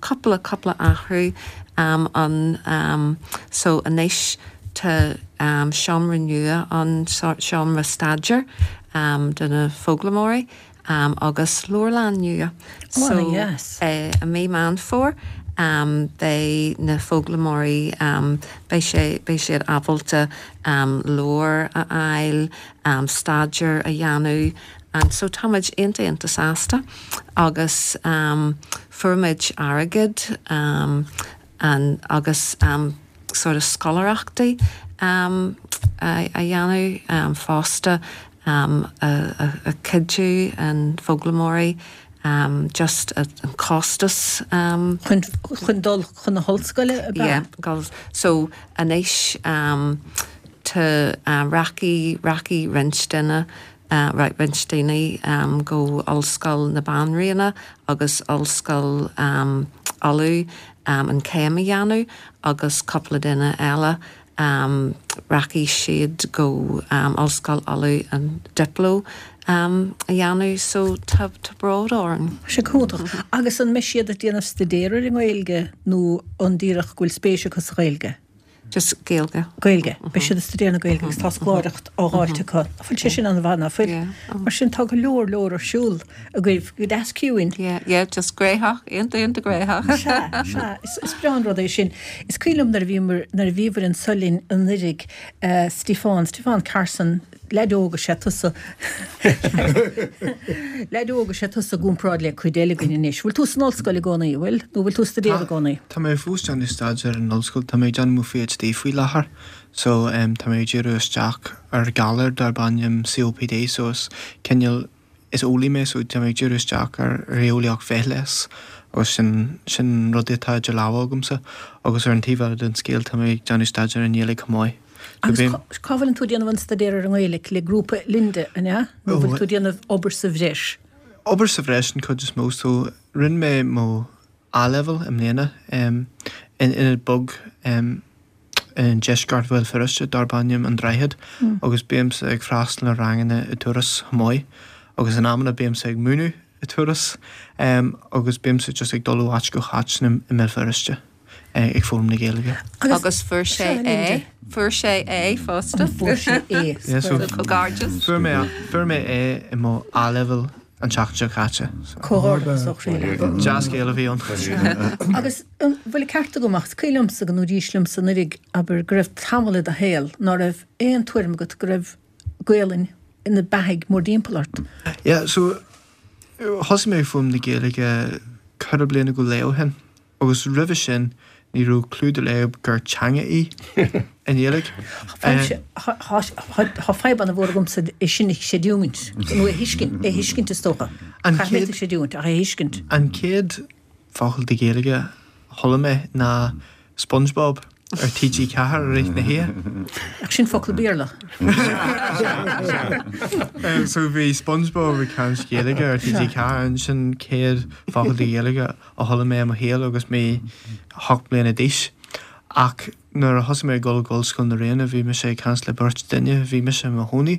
cúpla, cúpla athrú ann. So anois tá seomra nua ann, seomra staidéir do na foghlaimeoirí. agus leabharlann nua. So i mí Meán Fómhair beidh na foghlaimeoirí, beidh sé, beidh siad ábalta leabhair a fháil, staidéar a dhéanamh and so táimid iontach iontach sásta agus fuair muid airgead and agus sort of scoláireachtaí a dhéanamh fosta a chuidiú an foghlaimeoirí just an costas. Chun chun dul chun na hollscoile ab ea? Yeah, dul so anois tá rachaidh rachaidh roinnt duine roinnt daoine go Ollscoil na Banríona agus Ollscoil Uladh an céim a dhéanamh agus cúpla duine eile rachaidh siad go Ollscoil Uladh an Diplo a dhéanamh so tá bród orainn. Tá sé go hiontach. Agus an mbeidh siad ag déanamh staidéar ar an nGaeilge nó an díreach go bhfuil spéis acu sa Ghaeilge? Just Gaeilge. Gaeilge. Beidh siad ag staidéar na Gaeilge agus tá scoláireacht á dháilt acu. Nach bhfuil sé sin an-mhaith, ná fuil? Mar sin tá go leor leor ar siúl agaibh, go deas ciúin. Yeah, yeah, just gnóthach, iontach iontach gnóthach. Sea, sea, is breá an rud é sin. Is cuimhin liom nuair a bhíomar, nuair a bhíobhair anso linn anuraidh, Stiofán, Stiofán Carson, Leaid óg is ea tusa. Leaid óg is ea tusa i gcomparáid le cuid eile againn anois. Bhfuil tú san ollscoil i gcónaí, an bhfuil? Nó bhfuil tú ag staidéar i gcónaí? Tá mé fós ag déanamh staidéar in ollscoil. Tá mé ag déanamh mo PhD faoi láthair. So tá mé ag díriú isteach ar galar darb ainm COPD so is cineál Is eolaí mé so tá mé ag díriú isteach ar eolaíocht bhithleighis agus sin sin rud atá idir lámha agamsa agus ar an taobh eile den scéal tá mé ag déanamh staidéar i nGaeilge chomh maith. Agus cá bhfuileann tú ag déanamh an staidéar ar an nGaeilic? Le grúpa Linda, an ea? Nó bhfuil tú ag déanamh obair sa bhreis? Obair sa bhreis an chuid is mó. So rinne mé mo A-Level i mbliana in ionad beag i ndeisceart Bhéal Feirste darb ainm An Droichead agus bímse ag freastal ar ranganna i Turas chomh maith agus in amanna bímse ag múineadh i Turas agus bímse just ag dul ó áit go háit i mBéal Feirste ag foghlaim na Gaeilge. Agus fuair sé A, fuair sé A fosta. Fuair sé A. So comhghairdeas. Fuair mé, fuair mé A i mo A-Level an tseachtain seo caite. Comhghairdeas ó chroí leat. Dea-scéal a bhí ann. Agus an bhfuil an ceart agam, ach is cuimhin liomsa go ndúraís liomsa anuraidh, abair, go raibh tamall i do shaol ná raibh aon tuairim agat go raibh Gaolainn ina beathaidh mórdtimpeall ort. Yeah, so thosaigh mé ag foghlaim na Gaeilge ceithre bliana go leith ó shin. Agus roimhe sin ní raibh clue dá laghad gur teanga í an Ghaeilge. Tá fadhb an-mhór agamsa é sin a chreidiúint, nó a thuiscint, é a thuiscint is dócha. Caithfidh mé a chreidiúint, ach é a thuiscint. An chéad focal de Ghaeilge a chuala mé ná SpongeBob ar TG4 i rith na hoíche. Ach sin focal Béarla. So bhí SpongeBob ag caint Gaeilge ar TG4 and sin chéad focal de Ghaeilge a chuala mé i mo shaol agus mé 8 mbliana d'aois. Ach nuair a thosaigh mé ag dul go Ollscoil na Ríona bhí mise ag caint le beirt duine, bhí mise i mo chónaí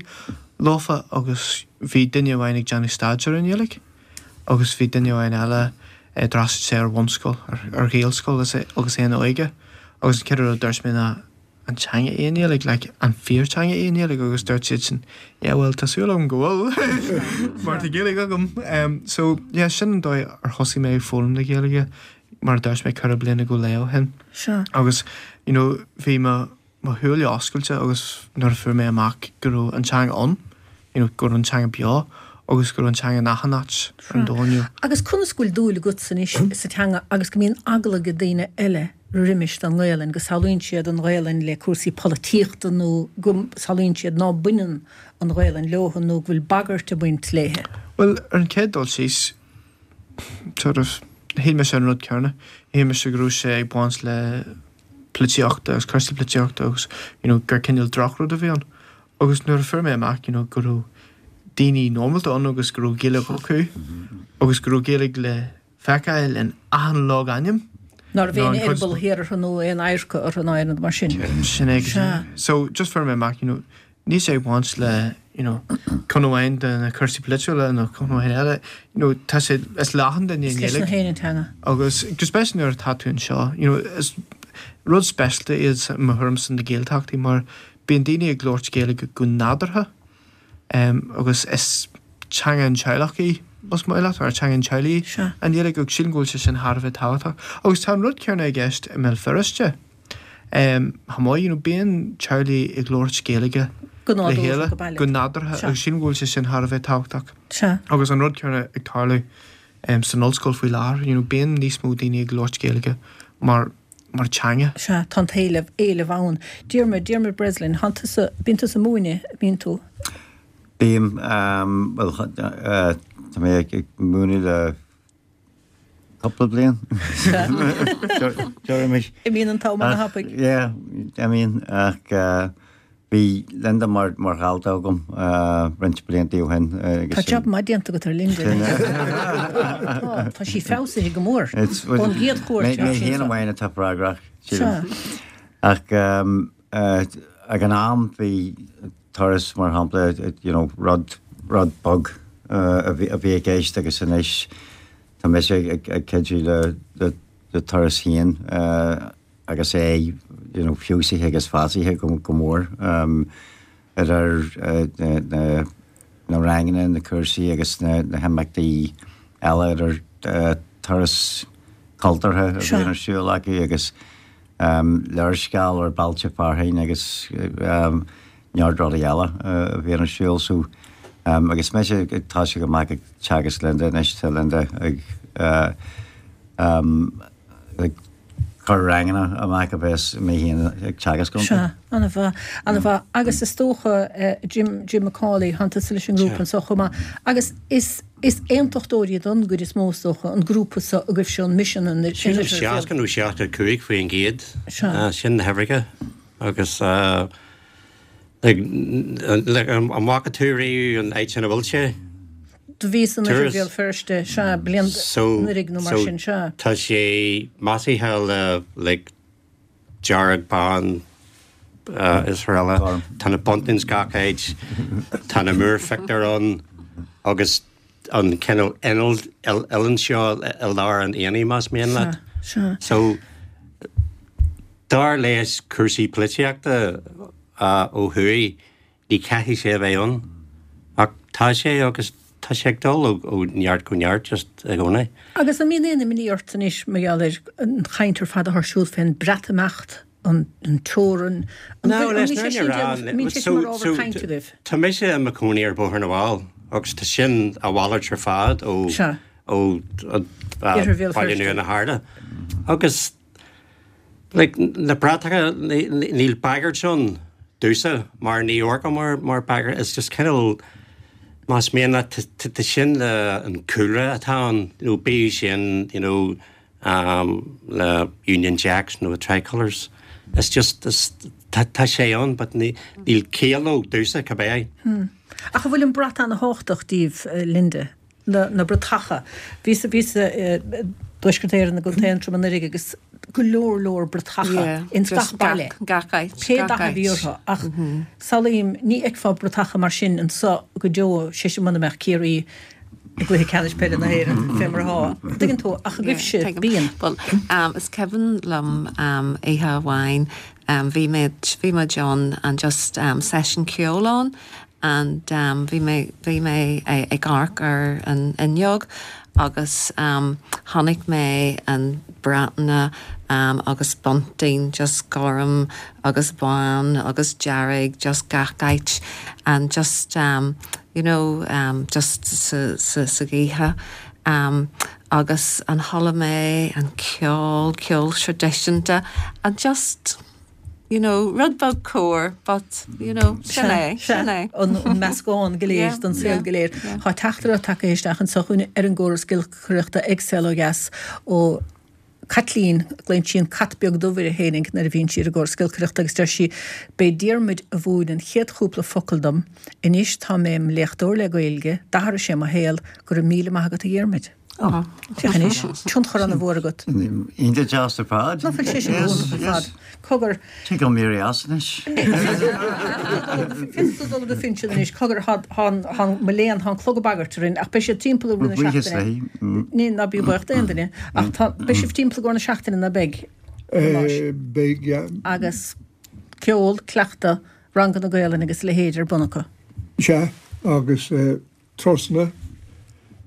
leofa agus bhí duine amháin ag déanamh staidéar ar an nGaeilge agus bhí duine amháin eile d'fhreastail sé ar bhunscoil, ar Ghaelscoil agus é ina óige agus an chéad rud a dúirt mé ná an teanga í an Ghaeilge, like an fíorteanga í an Ghaeilge agus dúirt siadsan yeah well tá súil agam go bhfuil mar tá Gaeilge agam. Um, so yeah sin an dóigh ar thosaigh mé ag foghlaim na Gaeilge mar a dúirt mé ceithre bliana go leith ó shin. Sure. Agus you know bhí mo mo shúile oscailte agus nuair a fuair mé amach go raibh an teanga ann, you know go raibh an teanga beo agus go raibh an teanga in achan áit ar an domhan you know. Agus conas go bhfuil dúil agatsa anois sa teanga agus go mbíonn eagla ag daoine eile roimis don nGaelainn, go samhlaíonn siad an Ghaelainn le cúrsaí polaitíochta nó go samhlaíonn siad ná baineann an Ghaelainn leo nó go bhfuil bagairt ag baint léithe? Bhuel, ar an chéad dul síos, sort of, shíl mise an rud céanna. Shíl mise go raibh sé ag baint le polaitíochta agus cúrsaí polaitíochta agus, you know, gur cineál drochrud a bhí ann. Agus nuair a fuair mé amach, you know, go raibh daoine normálta ann agus go raibh Gaeilge acu agus go raibh Gaeilge le feiceáil in achan logainm. Ná raibh aon eireaball thiar orthu nó aon adharca orthu ná aon rud mar sin. Sin é go Sea. So just fuair mé amach, you know, níl sé ag baint le, you know, ceann amháin de na cúrsaí polaitiúla nó ceann amháin eile, you know, tá sé, is le achan duine Is leis na héinne an teanga. Agus go speisialta nuair atá tú anseo, you know, is rud speisialta iad i mo thuairimse na Gaeltachtaí mar bíonn daoine ag labhairt Gaeilge go nádúrtha. Agus is teanga an teaghlach í, más maith leat, or teanga an teaghlaigh í, an Ghaeilge, agus sílim go bhfuil sé sin thar a bheith tábhachtach. Agus tá an rud céanna i gceist i mBéal Feirste chomh maith, you know, bíonn teaghlaigh ag labhairt Gaeilge le chéile go nádúrtha agus sílim go bhfuil sé sin thar a bheith tábhachtach. Agus an rud céanna ag tarlú san ollscoil faoi láthair, you know, bíonn níos mó daoine ag labhairt Gaeilge mar mar teanga. Sea, tá an t-éileamh, éileamh ann. Diarmuid, Diarmuid Breslin, thánn tusa, bíonn tusa ag múineadh, bíonn tú? Bím, bhuel, tá mé ag múineadh le cúpla bliain. Deirimid. Imíonn an t-am ana-thapaidh. Yeah, imíonn, ach Bhí Linda mar dhalta agam roinnt blianta ó shin agus. Tá jab maith déanta agat ar Linda. Tá, tá sí feabhsaithe go mór ón gcéad chuairt. Mé féin amháin atá freagrach, sílim. Ach ag an am bhí turas mar shampla, you know, rud, rud beag a bhí i gceist agus anois tá mise ag cuidiú le turas féin. agus é you know feabhsaithe agus feabhsaithe go mór idir na ranganna, na cúrsaí agus na himeachtaí eile idir turas cultúrtha a bhíonn ar siúl acu agus léarscáil ar bhailte fearainn agus neart rudaí eile a bhíonn ar siúl. So agus mise ag toiseacht amach ag teagasc Linda anois, tá Linda ag ag cur ranganna amach a bheas mé féin ag teagasc iontu. Sea, ana-mhaith, ana-mhaith. Agus is dócha, Jim, Jim McCauley, thánn tusa leis an ngrúpa anso chomh maith. Agus is, is aontachtóirí don gcuid is mó is dócha, an grúpa so agaibhse, an Misean in Sílim 60 nó 65%, Sea. sin na huimhreacha agus. Like, an bhfaca tú riamh an áit ina bhfuil sé? Do bhíos in Oirthear Bhéal Feirste, sea, bliain anuraidh nó mar sin, sea. Tá sé maisithe le like dearg, bán is araile. Tá na buntings gach áit, tá na múrphictiúir ann agus an cineál oileán seo i lár an aonaigh más mian leat. So, dar leis cúrsaí polaitíochta ó thuaidh, ní chaithfidh sé a bheith ann. Ach tá sé agus tá sé ag dul ó neart go neart just i gcónaí. Agus an mbíonn aon imní ort anois mar gheall ar an chaint ar fad atá ar siúl fén Breatimeacht, an teorainn, an bhfuil, an mbíonn sé sin déanamh, an mbíonn sé sin mar ábhar cainte agaibh? Tá mise i mo chónaí ar Bhóthar na bhFál agus tá sin a mhalairt ar fad ó ó Bhaile Nua na hArda. Agus like na bratacha níl bagairt ann domhsa mar ní amharcaim mar mar bagairt it's just cineál más mian leat tá sin an cúlra atá ann you know bíodh sin you know le Union Jacks nó Tricolours. It's just, it's, tá sé ann but níl ciall leo domhsa cibé. Ach an bhfuil an brat ana-thábhachtach daoibh, Linda? Na, na bratacha. Bhíos, bhíos i dTuaisceart Éireann i gContae Aontroim anuraidh agus go leor leor bratacha ins gach baile. Gach áit. Pé dath a bhí orthu. Ach samhlaím, ní fheicfeá bratacha mar sin anso go deo, sé sin muna mbeadh Ciarraí i gcluiche ceannais peile na hÉireann fé mar atá. Tuigeann tú, ach agaibhse, bíonn. Bhuel, is cuimhin liom oíche amháin, bhí mé, bhí muid ann and just seisiún ceoil ann and bhí mé, bhí mé ag amharc ar an fhuinneog agus chonaic mé an Breataine agus bunting just gorm agus bán agus dearg just gach áit and just you know just sa sa sa ghaoth agus an chuala mé an ceol, ceol traidisiúnta and just you know rud beag cóir but you know sin é, sin é. An meascán go léir den saol go léir. Tá teachtaireacht tagtha isteach anseo chugainn ar an gcóras giolcaireachta ag Saol Ó Dheas ó Caitlín, glaonn sí an cat beag dubh uirthi fhéinig nuair a bhíonn sí ar an gcóras giolcaireachta agus deir sí, B'é Diarmuid a mhúin an chéad chúpla focal dom, anois tá mé im léachtóir le Gaeilge, d'athraigh sé mo shaol, go raibh míle maith agat a Dhiarmuid. Ó, féach anois, tionchar ana mhór agat. Iontach deas ar fad. Ná fuil sé sin go hiontach ar fad. Cogar. Tig liom éirí as anois. Féadfaidh tú dul ar do phinsean anois. Cogar, tá, mo léan, tá an clog ag bagairt orainn, ach beidh siad timpeall i rith na Buíochas seachtaine. léi. Ní, ná bí buíoch d'aon duine. Ach tá, beidh sibh timpeall i gcomhair na seachtaine, ná beidh? Beidh, yeah. Agus ceol, cleachtadh, ranganna Gaelainne agus a leithéid ar bun acu. Sea, agus turasanna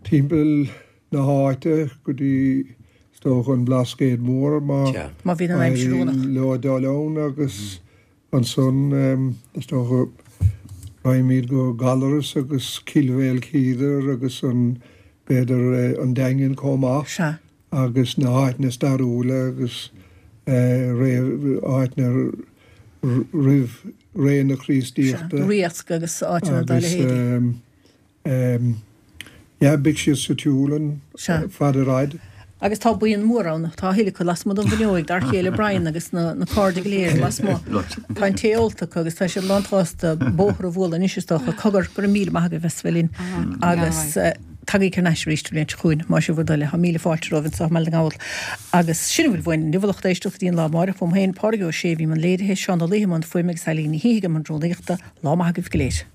timpeall na háite go dtí is dócha an Blascaod Mór má Má bhíonn an aimsir oiriúnach. éiríonn leo dul ann agus ansan is dócha raghaimid go Gallaras agus Cill Mhaoilchiadair agus an b'fhéidir an Daingean chomh maith Sea. agus na háiteanna stairiúla agus ré áiteanna roimh ré na Sea, Críostaíochta Riasc agus áiteanna dá agus leithéidí. Yeah, beidh siad sa tsiúl an fad ar fhad. Agus tá buíon mór ann, tá a thuilleadh acu lasmuigh den bhfuinneoig, d'fhear chéile Brian agus na cairde go léir lasmuigh. Tá an tae ólta acu agus tá siad lánsásta bóthar a bhualadh anois is dócha. Cogar, go raibh míle maith agaibh as bheith linn agus tagaigí thar n-ais arís an bhliain seo chugainn, más é bhur dtoil é. Tá míle fáilte romhaibh anseo i mBaile na nGall. Agus sin a bhfuil uainn inniu, a lucht éisteachta, go dtí an lá amáireach. Uaim féin, Pádraig Ó Sé, a bhí i mbun léirithe, Seán Ó Laoithe i mbun fuaime agus Eileen Ní Shíthigh i mbun rúnaíochta. Lá maith agaibh go léir.